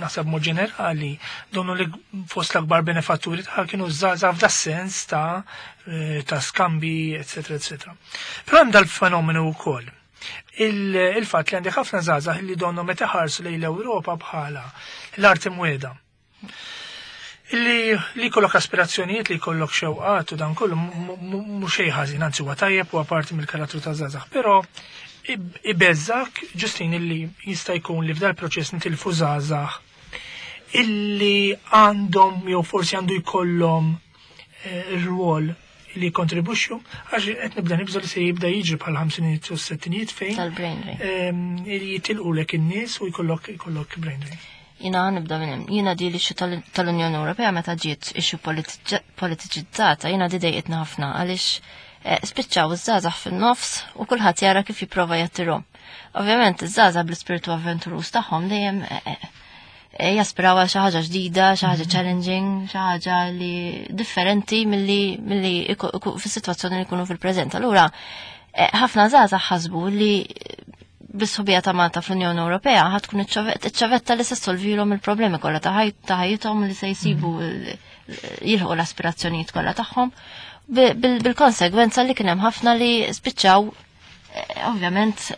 naħseb mod ġenerali, donnu li fost l-akbar benefatturi tagħha kienu żgħażagħ f'das-sens ta' ta' skambi, eċetera, eċetera. Però hemm dal-fenomenu wkoll. Il-fatt li għandek ħafna żgħażagħ li donnu meta ħarsu lejn l-Ewropa bħala l-art imwiegħda. Li li kollok aspirazzjonijiet, li kollok xewqat u dan kollu mhux xejn ħażin, anzi huwa tajjeb u parti mill-karattru ta' żgħażagħ, però Ibeżżgħek, Ġustin, illi jista' jkun li f'dal proċess nitilfu żgħażagħ illi għandhom jew forsi għandu jkollhom eh, rwol li kontribuxxu, għax qed nibda nibża li se jibda jiġri bħal ħamsinijiet u s-settinijiet fejn Tal-brain drain. Ehm, jitilqulek in-nies u jkollok jkollok brain drain. Jiena nibda minn hemm. Jiena di l-issue tal-Unjoni Ewropea meta ġiet issue politiċizzata, jiena di dejqitna ħafna għaliex eh, spiċċaw iż-żgħażagħ fin-nofs u kulħadd jara kif jipprova jattirhom. Ovvjament iż-żgħażagħ bl-ispirtu avventuruż tagħhom dejjem eh, eh, jaspiraw għal xi ħaġa ġdida, xi ħaġa challenging, xi ħaġa li differenti milli milli fis-sitwazzjoni li jkunu fil-preżent. Allura ħafna żgħażagħ ħasbu li bis-sħubija ta' Malta fl-Unjoni Ewropea ħa tkun iċ-ċavetta li se ssolvilhom il-problemi kollha ta' ħajjithom, li se jsibu jilħqu l-aspirazzjonijiet kollha tagħhom, bil-konsegwenza li kien hemm ħafna li spiċċaw eh, ovvjament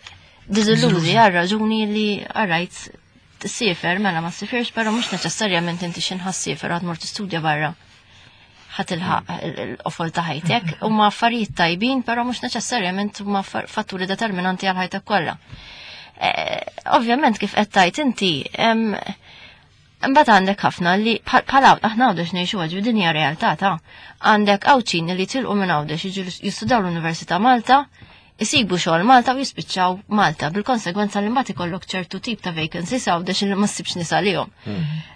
diżillużi għal raġuni li għarajt tsiefer, mela ma ssifirx, però mhux neċessarjament inti xi ssiefer għad mort tistudja barra ħa tilħaq l-qofol ta' ħajtek. Huma affarijiet tajbin, però mhux neċessarjament huma fatturi determinanti għal ħajtek kollha. Eh, ovvjament kif qed tajt inti, mbagħad għandek ħafna li bħala aħna Għawdex ngħixu għaġu din hija realtà ta' għandek Għawdxin li tilqu minn Għawdex jiġu jistudaw l-Università Malta, isibu xogħol Malta u jispiċċaw Malta, bil-konsegwenza li mbagħad ikollok ċertu tip ta' vacancies Għawdex li ma ssibx nies għalihom.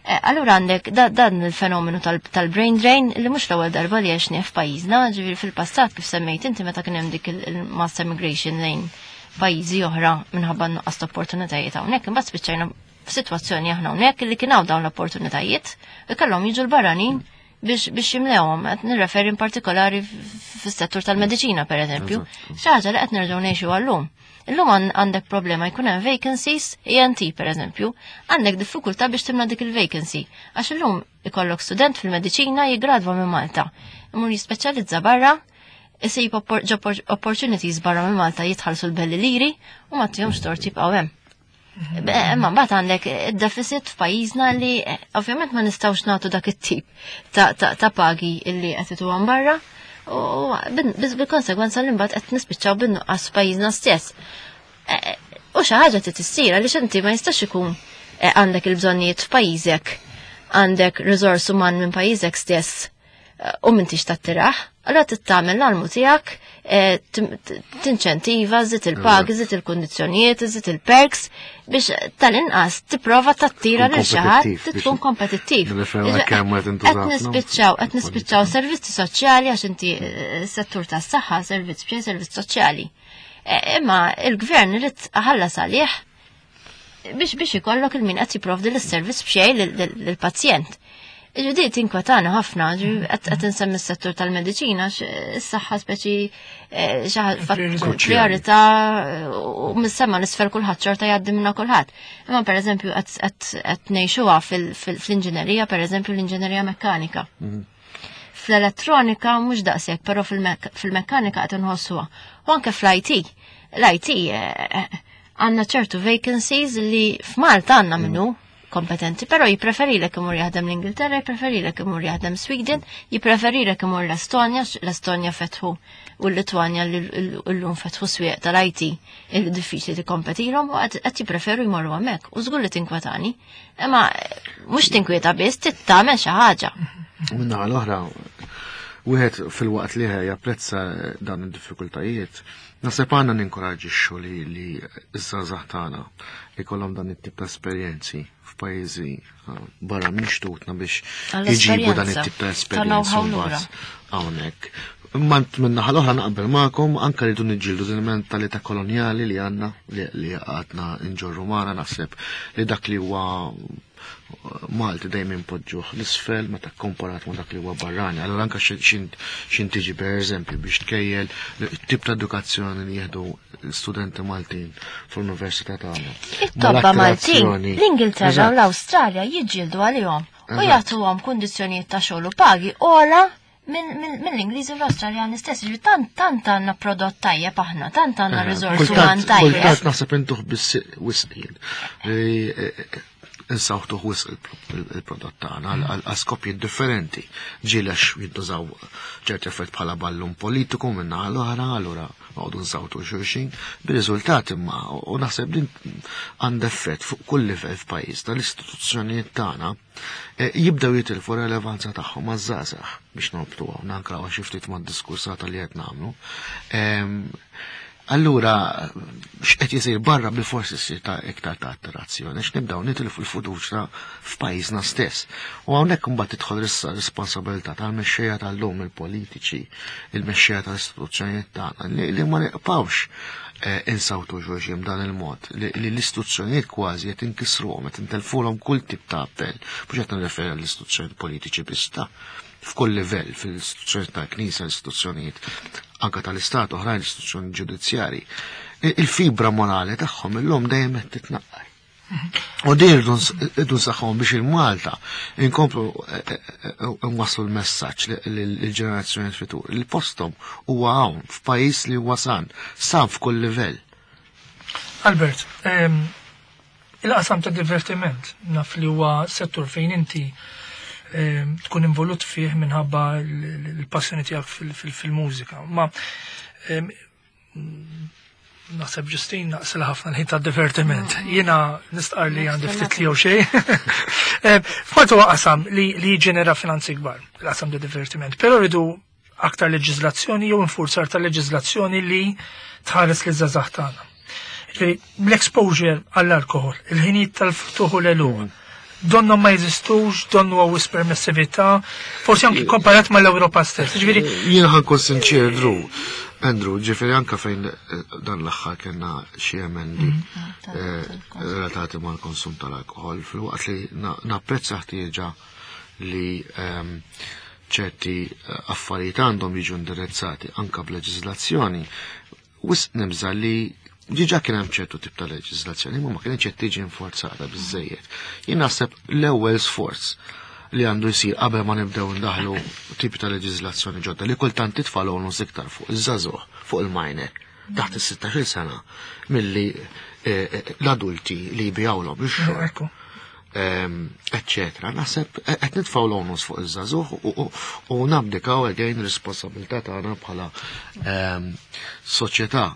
Eh, allura għandek dan il-fenomenu tal-brain drain li mhux l-ewwel darba li għexni f'pajjiżna, ġifieri fil-passat kif semmejt inti meta kien hemm dik il-mass emigration lejn pajjiżi oħra minħabba nuqqas ta' opportunitajiet hawnhekk, imbagħad spiċċajna f'sitwazzjoni aħna hawnhekk li kien hawn dawn l-opportunitajiet u kellhom jiġu l-barranin biex biex jimlewhom. Qed nirreferi in partikolari fis-settur tal-mediċina, pereżempju. Xi ħaġa li qed nerġgħu ngħixu għallum. Illum għandek problema jkun hemm vacancies E N T pereżempju, għandek diffikultà biex timla dik il-vacancy. Għax illum ikollok student fil-mediċina jiggradwa minn Malta. Imur jispeċjalizza barra, isib job opportunities barra minn Malta, jitħallsu l-belli liri u ma tihomx tort jibqgħu hemm. Imma mbagħad għandek id-deficit f'pajjiżna li eh, ovvjament ma nistgħux nagħtu dak it-tip ta' pagi illi qed ituhom barra u bil-konsegwenza li mbagħad qed nispiċċaw bin-nuqqas f'pajjiżna stess. Eh, u xi ħaġa trid issir għaliex inti ma jistax ikun eh, għandek il-bżonnijiet f'pajjiżek, għandek riżors uman minn pajjiżek stess u m'intix tattiraħ, allora tagħmel l-almu tiegħek, tinċentiva, żid il-pagi, żid il-kundizzjonijiet, żid il-perks biex tal-inqas tipprova tattira lil xi ħadd, tkun kompetittiv. Qed nispiċċaw, qed nispiċċaw servizzi soċjali, għax inti eh, settur tas-saħħa servizz bxejn, servizz soċjali. E, imma il-gvern irid ħallas għalih biex biex ikollok il-min qed jipprovdi l-servizz b'xejn lill-pazjent. Ġudi tinkwetana ħafna, qed insemmi s-settur tal-mediċina, s-saħħa speċi eh, priorità u mis-sema l-isfel kulħadd xorta jgħaddi minna kulħadd. Imma pereżempju qed ngħixuha fl-inġinerija, pereżempju l-inġinerija mekkanika. Mhm. Fl-elettronika mhux daqshekk, però fil-mekkanika qed inħossuha. U anke fl-I T. L-I T eh, għandna ċertu vacancies li f'Malta għandna minnu kompetenti, però jipreferilek imur jaħdem l-Ingilterra, jipreferilek imur jaħdem Sweden, jipreferilek imur l-Estonja, l-Estonja fetħu u l-Litwanja li l-lum fetħu swieq tal-I T il diffiċli tikkompetilhom u qed jippreferu jmorru hemmhekk u żgur li tinkwetani. Imma mhux tinkwieta biss, tagħmel xi ħaġa. Minna l-oħra, wieħed fil-waqt li japprezza dan id-diffikultajiet, naħseb għandna ninkoraġixxu li li ż-żgħażagħ tagħna ikollhom dan it-tip ta' esperjenzi f'pajjiżi uh, barra minn xtutna biex jġibu dan it-tip ta' esperjenzi mbagħad hawnhekk. Imma minnaħa l-oħra naqbel magħkom anke rridu niġġieldu din il-mentalità kolonjali li għandna, li għadna nġorru magħna. Naħseb li dak li huwa Malti dejjem impoġġuh l-isfel meta komparat ma' dak li huwa barrani. Allura anke xin tiġi per eżempju biex tkejjel tip ta' edukazzjoni li jieħdu studenti Maltin fl-università tagħna. It-tobba Maltin, l-Ingilterra u l-Awstralja jiġġieldu għalihom u jagħtuhom kundizzjonijiet ta' xogħol u pagi ogħla mill-Ingliżi u l-Awstraljani stess. Ġifieri tant tant għandna prodott tajjeb aħna, tant għandna riżorsi uman tajjeb. Kultant naħseb intuh biss wisq jien. Insawtuh wisq il-prodott tagħna għal skopji differenti. Ġilex jintużaw ċerti effett bħala ballun politiku minna l-oħra, allura Noqogħdu nsawtu xulxin, bir-riżultat imma u naħseb din għandha effett fuq kull livell f'pajjiżna, l-istituzzjonijiet tagħna eh, jibdew jitilfu relevanza tagħhom maż-żgħażagħ biex norbtu hawn anke xi ftit mad-diskursata li qed nagħmlu. Ehm, Allura, x'qed jisir barra bil-forsi ssir ta' iktar ta' attirazzjoni, x'nibdew nitilfu l-fiduċja f'pajjiżna stess. U hawnhekk imbagħad tidħol issa responsabilità tal-mexxejja tal-lum il-politiċi, il-mexxejja tal-istituzzjonijiet tagħna li, li ma nibqgħux eh, insawtu xulxin b'dan il-mod, li, li l-istituzzjonijiet kważi qed inkisruhom, qed intelfulhom kull tip ta' appell, mhux qed nirreferi għall-istituzzjonijiet politiċi biss ta' f'kull livell, fil-istituzzjonijiet tal-Knisja, l-istituzzjonijiet anka tal-Istat, oħrajn l-istituzzjoni ġudizzjari. Il-fibra morali tagħhom illum dejjem qed titnaqqar. U din irridu nsaħħuhom biex il-Malta inkomplu eh, eh, eh, nwasslu l-messaġġ lill-ġenerazzjoni futur. Il-postom huwa hawn f'pajjiż li huwa san, san f'kull livell. Albert, ehm, il-qasam ta' divertiment naf li huwa settur fejn inti ehm, tkun involut fih minħabba l-passjoni tiegħek fil-mużika. Ma ehm, naħseb Ġustin naqsel ħafna l-ħin ta' divertiment. Jiena nistqar li għandi ftit li jew xejn. F'Malta huwa qasam li li jiġġenera finanzi kbar, il-qasam ta' divertiment. Però rridu aktar leġiżlazzjoni jew infurzar ta' leġiżlazzjoni li tħares li żgħażagħ tagħna. Ġifieri, l-exposure għall-alkohol, il-ħinijiet tal-ftuħ u l-għeluq, donnu ma jeżistux, donnu hawn permessività, forsi anki komparat mal-Ewropa stess. Ġifieri, Jien ħa nkun sinċir, Drew. Andrew, ġifieri anka fejn eh, dan l-aħħar kellna xi emendi eh, relatati mal-konsum tal-alkohol, fil-waqt li na- napprezza ħtieġa li ehm, ċerti eh, affarijiet għandhom jiġu indirizzati anka b'leġiżlazzjoni, wisq nibża li diġà kien hemm ċertu tip ta' leġiżlazzjoni, ma ma kienx qed tiġi infurzata biżejjed. Jien naħseb l-ewwel sforz li għandu jsir qabel ma nibdew ndaħlu tipi ta' leġiżlazzjoni ġodda li kultant titfa' onus iktar fuq iż-żagħżugħ, fuq il-minor taħt is-sittax-il sena milli eh, eh, l-adulti li jbijawlhom ix-xorb ekku. ehm, eccetera. Naħseb qed nitfgħu l-onus fuq iż-żagħżugħ u- u- u nabdikaw again responsabilità tagħna bħala ehm, soċjetà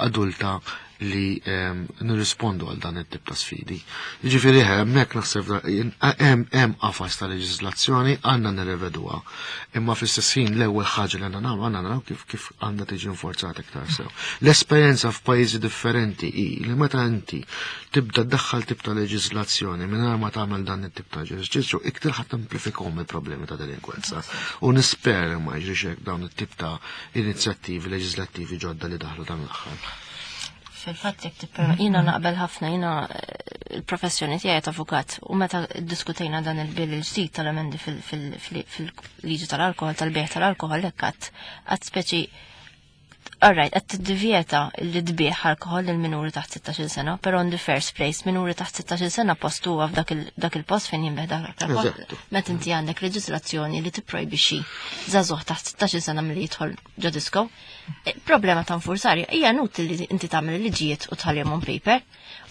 adulta li ehm, nirrispondu għal dan it-tip ta' sfidi. Jiġifieri hemmhekk naħseb da- jien- hemm hemm qafas ta' leġiżlazzjoni għandna nirrevedуha. Imma fl-istess ħin l-ewwel ħaġa li għandna nagħmlu għandna naraw kif kif għandha tiġi inforzata iktar sew. L-esperjenza f'pajjiżi differenti hi li meta inti tibda ddaħħal tip ta' leġiżlazzjoni mingħajr ma tagħmel dan it-tip ta' eżerċizzju, iktar ħadd templifikhom il-problemi ta' delinkwenza. U nispera ma jiġrix hekk dawn it-tip ta' inizjattivi leġislattivi ġodda li daħlu dan l-aħħar. Fil-fatt jekk tipperma jiena naqbel ħafna jiena eh, il-professjoni tiegħi ta' avukat u meta ddiskutejna dan il-bill il-ġdid tal-emendi fil-liġi tal-alkohol tal-bejgħ tal-alkohol hekk għadt għadt speċi Alright, qed tiddivjeta li tbigħ alkohol lil minuri taħt sittax-il sena, però in the first place minuri taħt sittax-il sena post huwa f'dak il- dak il-post fejn jinbigħ dak l-alkohol. Eżattu. Meta inti għandek leġislazzjoni li tipprojbixxi żagħżugħ taħt sittax-il sena milli jidħol ġo disco, eh, problema ta' nfurzar hija inutli li inti tagħmel liġijiet u tħallihom on paper.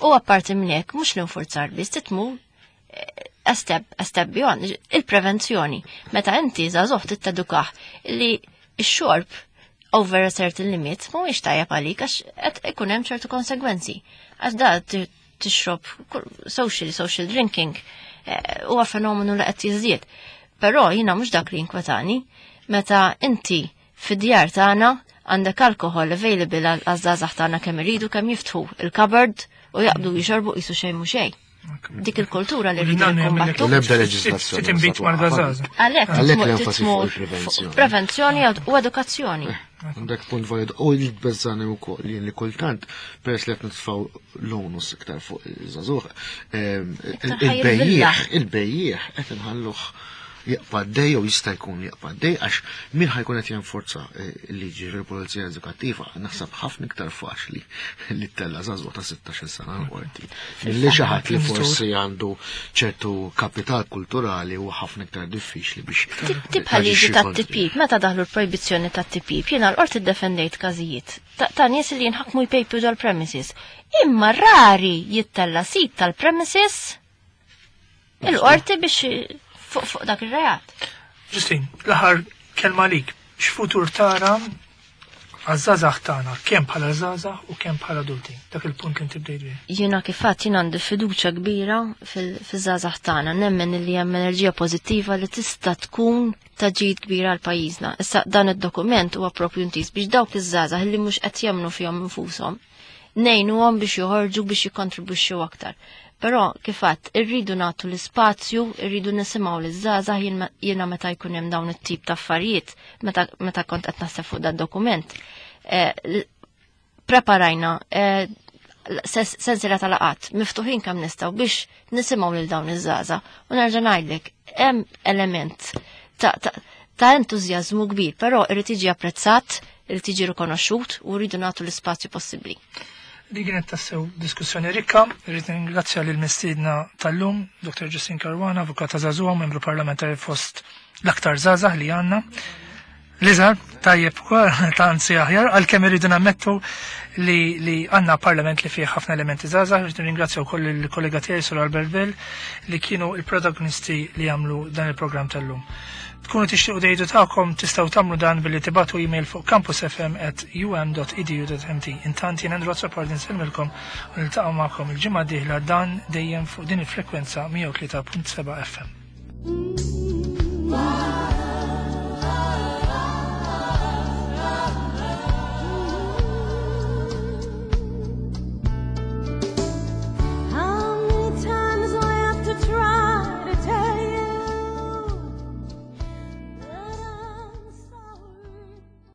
U apparti minn hekk mhux l-infurzar biss titmu a step, a step beyond, il-prevenzjoni. Meta inti żagħżugħ tittedukah li x-xorb over a certain limit mhuwiex tajjeb għalik għax qed ikun hemm ċertu konsegwenzi. Għax da ti- tixrob kull- social, social drinking eh, huwa fenomenu li qed jiżdied. Però jiena mhux dak li jinkwetani meta inti fid-djar tagħna għandek alkohol available għal għaż-żgħażagħ tagħna kemm iridu kemm jiftħu il-cupboard u jaqbdu jixorbu qisu xejn mhu xejn. Dik il-kultura li rridu nikkombattu. L-ebda leġiżlazzjoni Ftit inbid mal-gażaż. Għalhekk Għalhekk titmu- l-enfasi titmur fuq il-prevenzjoni. Prevenzjoni u edukazzjoni. Għandek punt valid. U l-bezzani u koll, jien li kultant, peress li qed nitfgħu l-onus iktar fuq iż-żagħżugħ, ehm, Iktar il-bejjieħ, ħajrvilla. il-bejjieħ qed inħalluh jibqa' għaddej jew jista' jkun jibqa' għaddej għax min ħa jkun qed jenforza eh, il-liġi fil-pulizija edukattiva naħseb ħafna iktar faċli li ttella' żagħżugħ ta' sittax-il sena l-qorti. Milli xi ħadd li forsi għandu ċertu kapital kulturali u ħafna iktar diffiċli biex Tibħal liġi taġixxi ta' kontri. tipjip, meta daħlu l-projbizzjoni ta' tipjip, jiena l-qorti defendejt każijiet ta' ta' nies li jinħakmu jpejpu ġol-premises. Imma rari jittella sit tal-premises il-qorti biex fuq fuq dak ir-reat. Ġustin, l-aħħar kelma lik, x'futur tara għaż-żgħażagħ tagħna kemm bħala żgħażagħ u kemm bħala adulti. Dak il-punt li inti bdejt bih. Jiena kif għedt jien għandi fiduċja kbira fil-żgħażagħ tagħna, nemmen li hemm enerġija pożittiva li tista' tkun ta' ġid kbira għal pajjiżna. Issa dan id-dokument huwa propju intiż biex dawk iż-żgħażagħ li mhux qed jemmnu fihom infushom, ngħinuhom biex joħorġu biex jikkontribwixxu aktar. Però kif għedt irridu nagħtu l-ispazju, irridu nisimgħu liż-żgħażagħ jiena meta jkun hemm dawn it-tip ta' affarijiet, meta, meta kont qed naħseb fuq dan dokument. Eh, preparajna eh, sensiela ta' laqgħat miftuħin kemm nistgħu biex nisimgħu lil dawn iż-żgħażagħ. U nerġa' ngħidlek hemm element ta', ta, ta' entużjażmu kbir, però irid jiġi apprezzat, irid jiġi rikonoxxut u rridu nagħtu l-ispazju possibbli. Li kienet tassew diskussjoni rikka, irrid ningrazzja lil mistiedna tal-lum, Dr. Justin Caruana, avukata żagħżugħa, membru parlamentari fost l-aktar żgħażagħ li għandna. L-iżgħar, tajjeb ta' anzi aħjar, għalkemm irridu nammettu li, li għandna parlament li fih ħafna elementi żgħażagħ, irridu ringrazzja wkoll il-kollega tiegħi Sur Albert Bell li kienu il-protagonisti li għamlu dan il-programm tal-lum. Tkunu tixtiequ tgħidu tagħkom tistgħu tagħmlu dan billi tibagħtu email fuq campusfm at um dot edu dot M T. Intant jien Andrew Azzopardi nsellmilkom u niltaqgħu magħkom il-ġimgħa d-dieħla dan dejjem fuq din il-frekwenza mija u tlieta punt seba' F M.